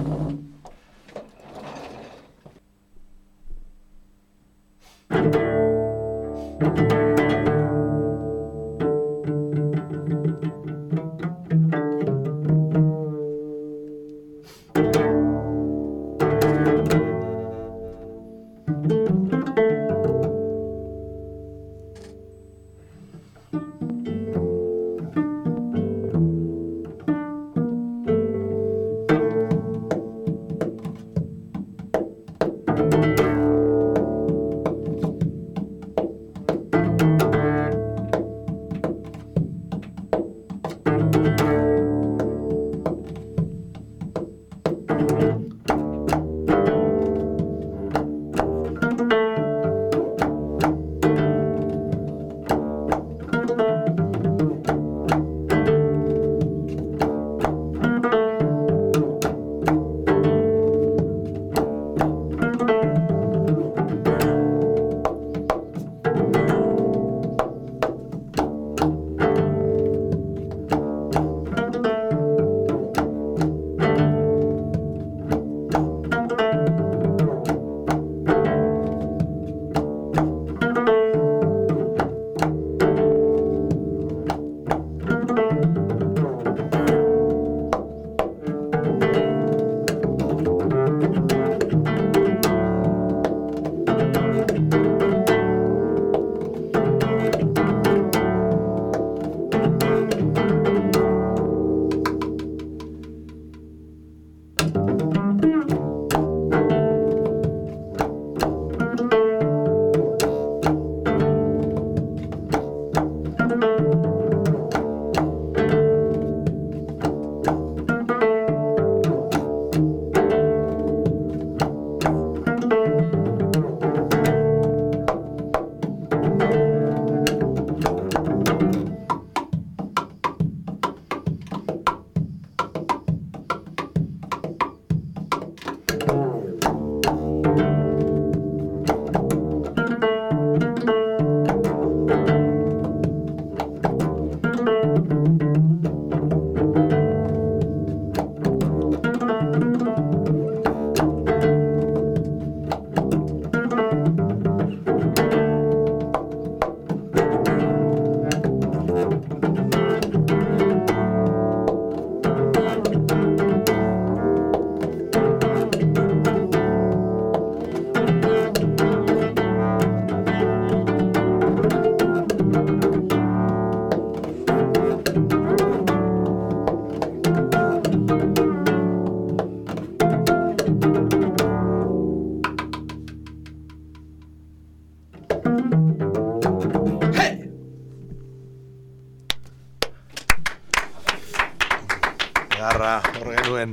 Hor genuen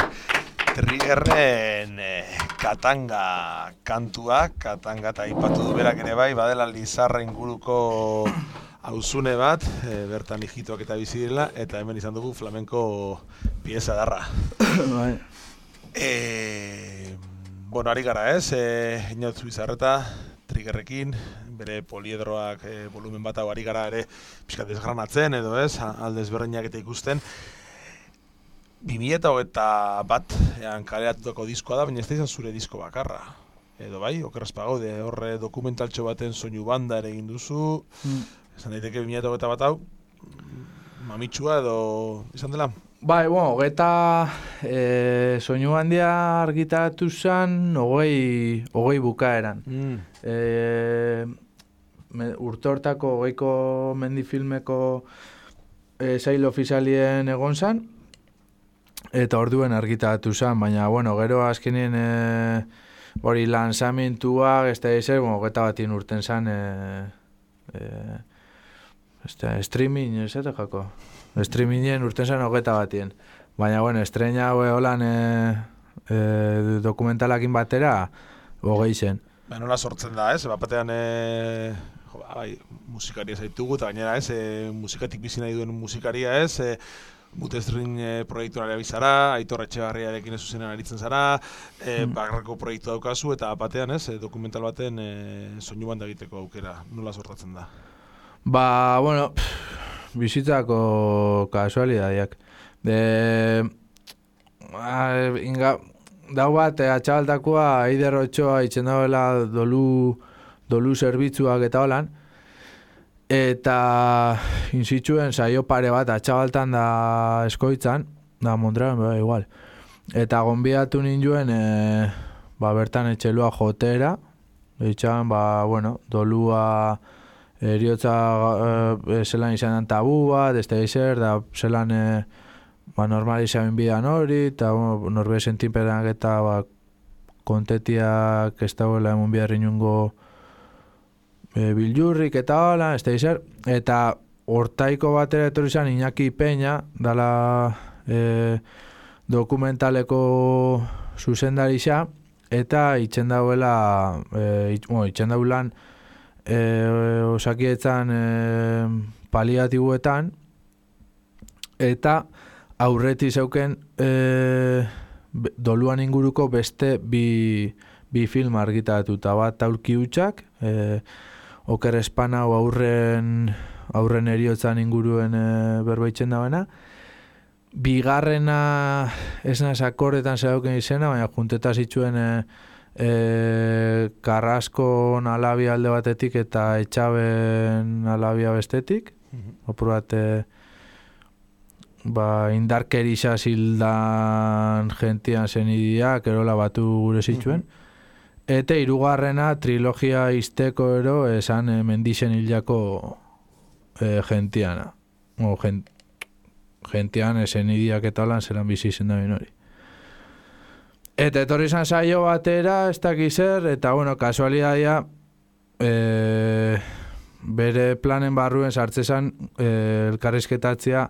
Triggerren Katanga kantua, Katanga eta aipatu du berak ere bai, badela Lizarra inguruko auzune bat, bertan hijitoak eta bizi direla, eta hemen izan dugu flamenko pieza darra. Bai. Bueno, ari gara ez, Inaut Zubizarreta, Triggerrekin, bere poliedroak volumen bat hau ari gara ere pixkat desgranatzen edo ez, alde ezberdinak eta ikusten. 2021 kaleratutako diskoa da, baina ez da izan zure disko bakarra. Edo bai, okerraz pagaude, horre dokumentaltxo baten soinu banda ere egin duzu, esan daiteke 2021 hau, mamitsua edo izan dela? Bai, bueno, soinu handia argitaratu zen, hogei bukaeran. Urte hortako 20ko mendifilmeko sail ofizialien egon zen, eta orduen argitaratu zen, baina, bueno, gero azkenien hori lanzamentua, ez da ezer, bueno, 21 urten zen, streaming, ez da jako? Streamingen urten zen 21. Baina, bueno, estrena holan dokumentalakin batera, 20 zen. Ba, nola sortzen da, ez? Batean, bai, musikaria zaitugu, eta gainera, ez? Musikatik bizi nahi duen musikaria, ez? Mutestrin proiektuaren bizara, Aitor Etxebarriarekin zuzenean aritzen zara, bakarrako proiektu daukazu, eta batean, ez? Dokumental baten soinu banda egiteko aukera, nola sortatzen da? Ba, bueno, bizitzako kasualidadiak. Dau bat, atxabaltakoa, Eider Otxoa itzen dauela dolu zerbitzuak eta holan, eta inzituen saio pare bat atxabaltan da eskoitzan, da Montrealen, igual. Eta gonbidatu ninduen, bertan etxelua jotera, eitxan, bueno, dolua eriotza zelan izan tabu bat, ez da izer, da zelan normalizaren bidan hori, eta norbe sentinperak eta kontetiak ez dauela emun biharri nungo biljurrik eta hola, ez da izer, eta hortaiko batera etorri izan Iñaki Peña, dala dokumentaleko zuzendari xa, eta itxen dauela, itxen daulan osakietzan paliatibuetan, eta aurreti zeuken doluan inguruko beste bi film argitaratuta, bat Aulki hutsak, Oker Espanau aurren eriotzan inguruen berbaitzen dagoena. Bigarrena ez naz akordetan zeuken izena, baina junteta zituen Carrascon alabia alde batetik eta Etxaben alabia bestetik. Opur bat indarkerisa zildan gentian zen idiak, erola batu gure zituen. Eta hirugarrena trilogia izteko ero esan mendixen hilako gentiana. Gentian esen idiak eta holan zelan bizi izen da hori. Eta etorri izan saio batera, ez dakiz zer, eta bueno, kasualidadia bere planen barruen sartzezan elkarrizketatzea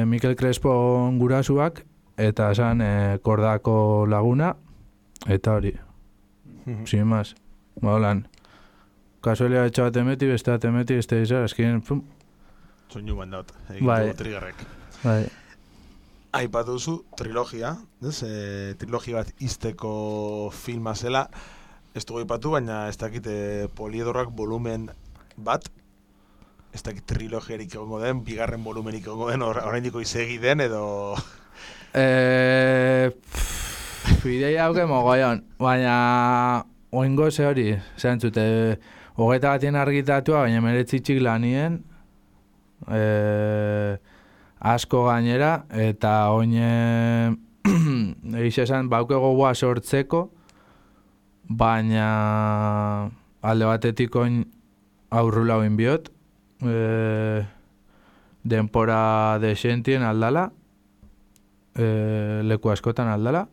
Mikel Crespo gurasuak, eta esan Kordako laguna, eta hori. Sin más. Holan. Kasualia etxa bat emeti, beste bat emeti, beste izan, eskien, pum. Soinu bandaut, egin dugu Triggerrek. Bai. Aipatu duzu trilogia, ez? Trilogia bat izteko filma zela, ez dugu aipatu, baina ez dakit poliedroak volumen bat, ez dakit trilogiarik egongo den, bigarren volumenik egongo den, oraindiko izegi den, edo... Ideia hauke mogoion, baina oingo ze hori, zentzute, 21 argitatua, baina meretzitxik lanien, asko gainera, eta oine egiz esan bauke gogoa sortzeko, baina alde batetik oin aurrula oin biot, denpora desentien aldala, leku askotan aldala,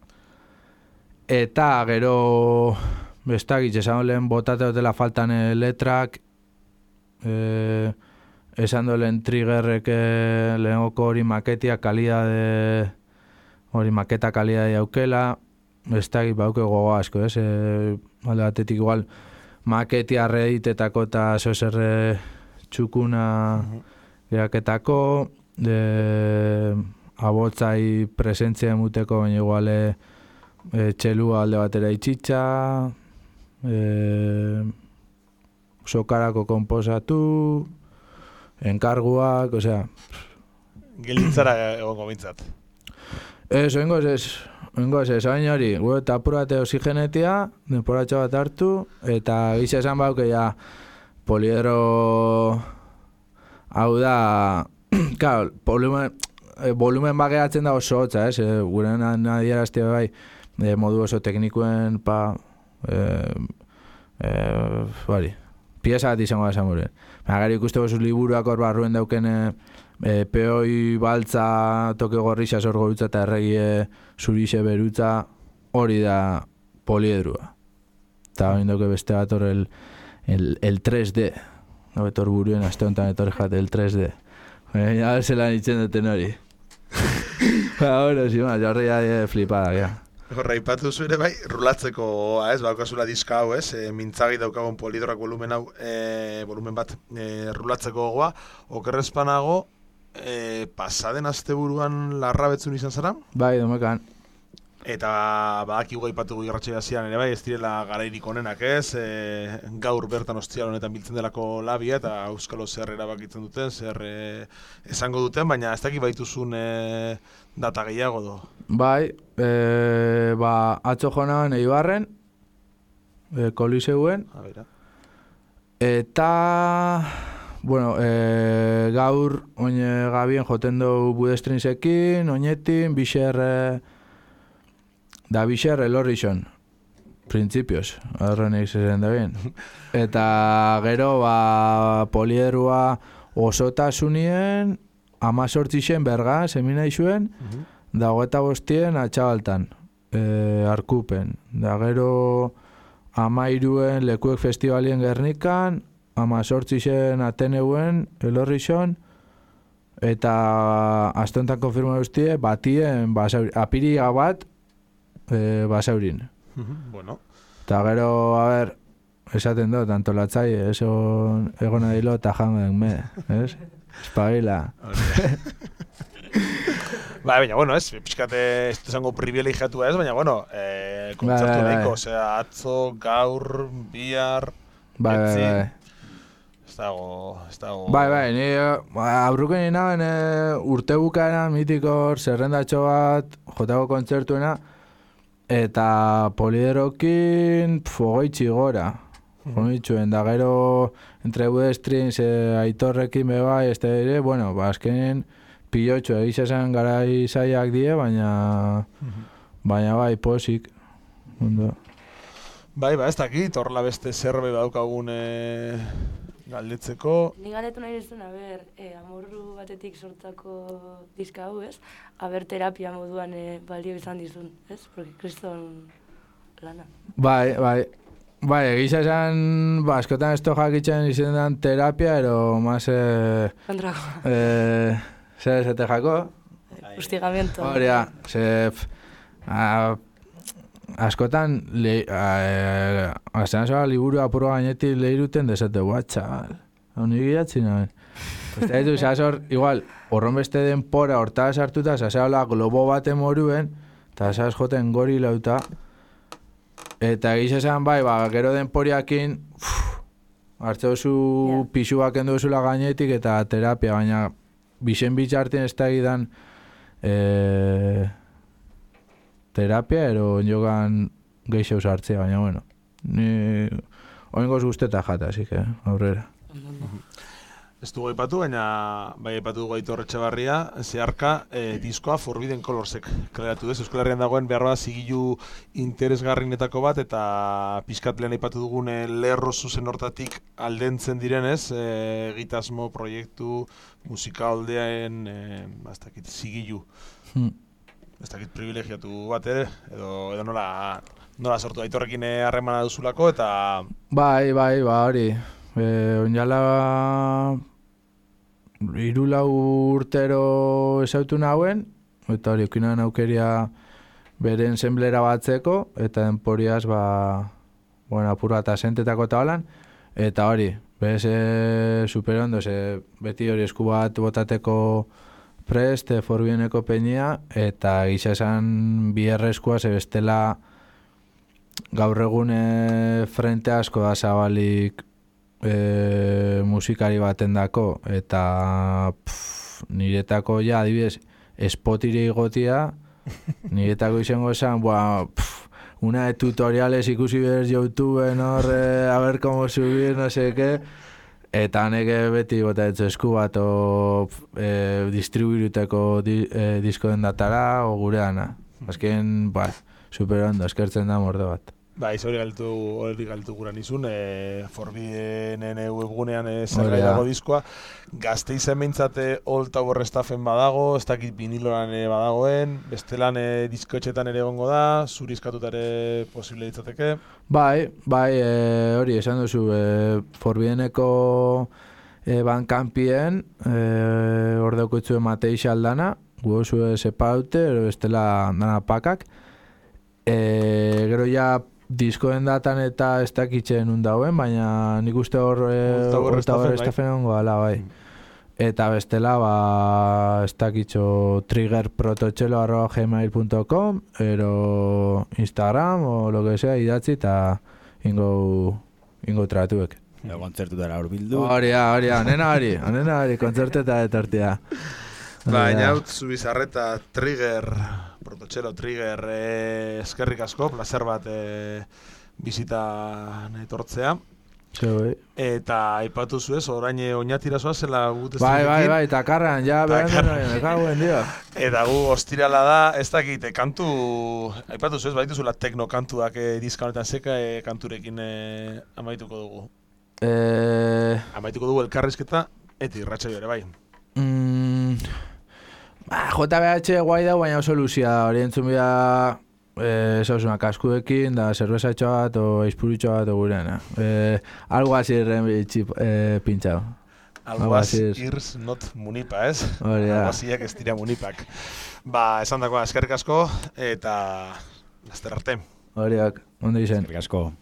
eta gero bestakit, esan lehen botate dutela faltan letrak, esan lehen triggerrek lehengoko hori maketia kalidade, hori maketa kalidade aukela, bestakit bauke gogo asko, alde batetik igual maketia reeditetako eta zozer txukuna geraketako, abotzai presentzia emuteko, baina igual txelua alde batera itxitxa, sokarako konposatu, enkarguak, osea... Gelitzara egongo bintzat. Oingoz ez, hain hori, eta apurate oxigenetia, denporatxo bat hartu, eta giza esan bauke ja poliedro hau da, claro, volumen bageatzen da oso hotza, gure nadierazte bai, modu oso teknikuen, pieza bat izango da esan gure. Gari ikusteko zuz liburuak hor barruen dauken peoi baltza toke gorrixa sorgo dutza eta erregie zurixe berutza hori da poliedrua. Eta hain dauke beste bat hor el 3D. Betor buruen aste honetan etorri jate el 3D. Ja zelan itxen duten hori. Bueno, si ma, jorri ja flipada, ja. Horra, ipatu zure bai, rulatzeko, baukazula diska hau, mintzagi daukagun polidroak volumen bat rulatzeko gogoa, okerrezpanago, pasaden asteburuan larra betzun izan zara? Bai, domekan. Eta badakigu aipatugu irratxea zian ere bai, ez direla garairik onenak gaur bertan ostial honetan biltzen delako labia eta Euskalo zer erabakitzen duten, zer esango duten, baina ez dakit baituzun data gehiago do. Bai, atzo joan Eibarren, Koliseuen, eta, bueno, gaur oine gabien joten dugu Budestrinsekin, oinetin, Bixer elorrixon, printzipioz, horrenik zezen da bien. Eta gero, poliedrua osotasunien, 18 berga, semina izuen, da 25 atxabaltan, arkupen. Da gero, 13 lekuek festivalien Gernikan, 18 Ateneuen elorrixon, eta astontan konfirma guztie, batien apiriga bat, basaurin. Bueno. Eta gero, a ver, esaten dut, antolatzai, egona dilo eta jango den me, ez? Espagila. Baina, bueno, pixkate, ez zango privilegiatu ez, baina, bueno, kontzertu nahiko, osea, atzo, gaur, bihar, etzi. Ez dago... Bai, ni aurruken ninaben urte bukaeran mitikor zerrendatxo bat, jotako kontzertuena, eta poliderokin fogoitxi gora. Fogoitxuen, da gero entre Budestrins, Aitorrekin bebai, ez da ere, bueno, azkenen pilotxo, egisa zen garai zaiak die, baina bai, posik. Bai, ez dakit, horrela beste zerbe daukagun galdetzeko. Ni galdetu nahi duzun, amorru batetik sortako diska hau, ez? Aber terapia moduan balio izan dizun, ez? Porque kriston lana. Bai, egisa esan, askotan esto jakitzen izan den terapia, ero más... Kontrako. Zer esate jako? Hostigamiento. Horia, askotan, aztean zoa liburu apuro gainetik lehiruten desate, txabal, hau nik gidatzen naben. Eta ditu, zazor, igual, horron beste denpora hortaz hartuta, zazeala globo baten moruen, eta zaz joten gori lauta. Eta egizazan bai, gero denporiakin, hartzeuzu pixuak enduzula gainetik eta terapia, baina bixen bitxartien ez da egidan terapia, ero jogan geixo usartzea, baina bueno, ni oingoz guzteta jata, así que aurrera. ez dugu aipatu, baina bai aipatu dugu Aitor Etxebarria, zeharka diskoa Forbidden Colorsek kaleratu duz. Euskal Herrian dagoen behar bada zigilu interesgarrinetako bat, eta pixkat lehen aipatu dugun lerro zuzen hortatik aldentzen direnez, egitasmo, proiektu, musika aldeaen, ez dakit, zigilu. Ez dakit privilegiatu bat ere, edo nola sortu Aitorrekin harremana duzulako, eta... Bai, hori. Oinala 3-4 urtero esautu nauen, eta hori okinan aukeria bere ensemblera batzeko, eta denporiaz, apur bat asentetako eta holan, eta hori, bez superondo, beti hori esku bat botateko prest, Forbieneko peinia, eta gisa esan bierrezkoa, bestela gaur egun frente asko da zabalik musikari baten dako, eta niretako adibidez, spotire igotia, niretako izango esan, una de tutoriales ikusi behar YouTubeen a ver cómo subir, no sé qué, eta neke beti bota etzu esku bat, distribuiruteko diskoen datara, o gure dana. Azken, super ondo, eskertzen da morde bat. Hori galtu gura nizun, Forbienen webgunean zergai dago diskoa. Gazteizen behintzate Old Tower Staffen badago, ez dakit viniloran badagoen, bestelan diskoetxetan ere egongo da, zurizkatuta ere posible ditzateke. Hori esan duzu, Forbieneko Bandcampien ordeukutzu emateixe aldana, guozu sepaute, bestela dana pakak. Gero ja diskoen datan eta ez dakitzen undauen, baina nik uste hor estafen ongo ala, bai. Eta bestela, ez dakitxo triggerprototxelo@gmail.com, ero Instagram, o lo que sea, idatzi eta ingo tratuek. Kontzertutara hor bildu. Hori, anena hori, kontzerteta etortia. Baina haut zubizarreta Prototxelo Trigger eskerrik asko, placer bat bizitan etortzea. Eta aipatu zuez, orain oinatira zoazela gut ez duekin. Bai, eta karran, mekauen dio. Eta gu ostirala da, ez dakit, kantu, aipatu zuez, baituzula teknokantuak diska honetan zeka kanturekin amaituko dugu. Amaituko dugu elkarrizketa, eta irratsaio ere bai. JBH guai da, baina oso luzia, hori entzun bida zauzuna kaskuekin, da zerbezatxo bat, o eizpurutxo bat, o gureana. Algo así pintxau. Algo así irs not munipa, ez? Algo asíak ez dira munipak. Esan dagoa, eskerrik asko, eta laster arte. Horiak, ondo izen. Eskerrik asko.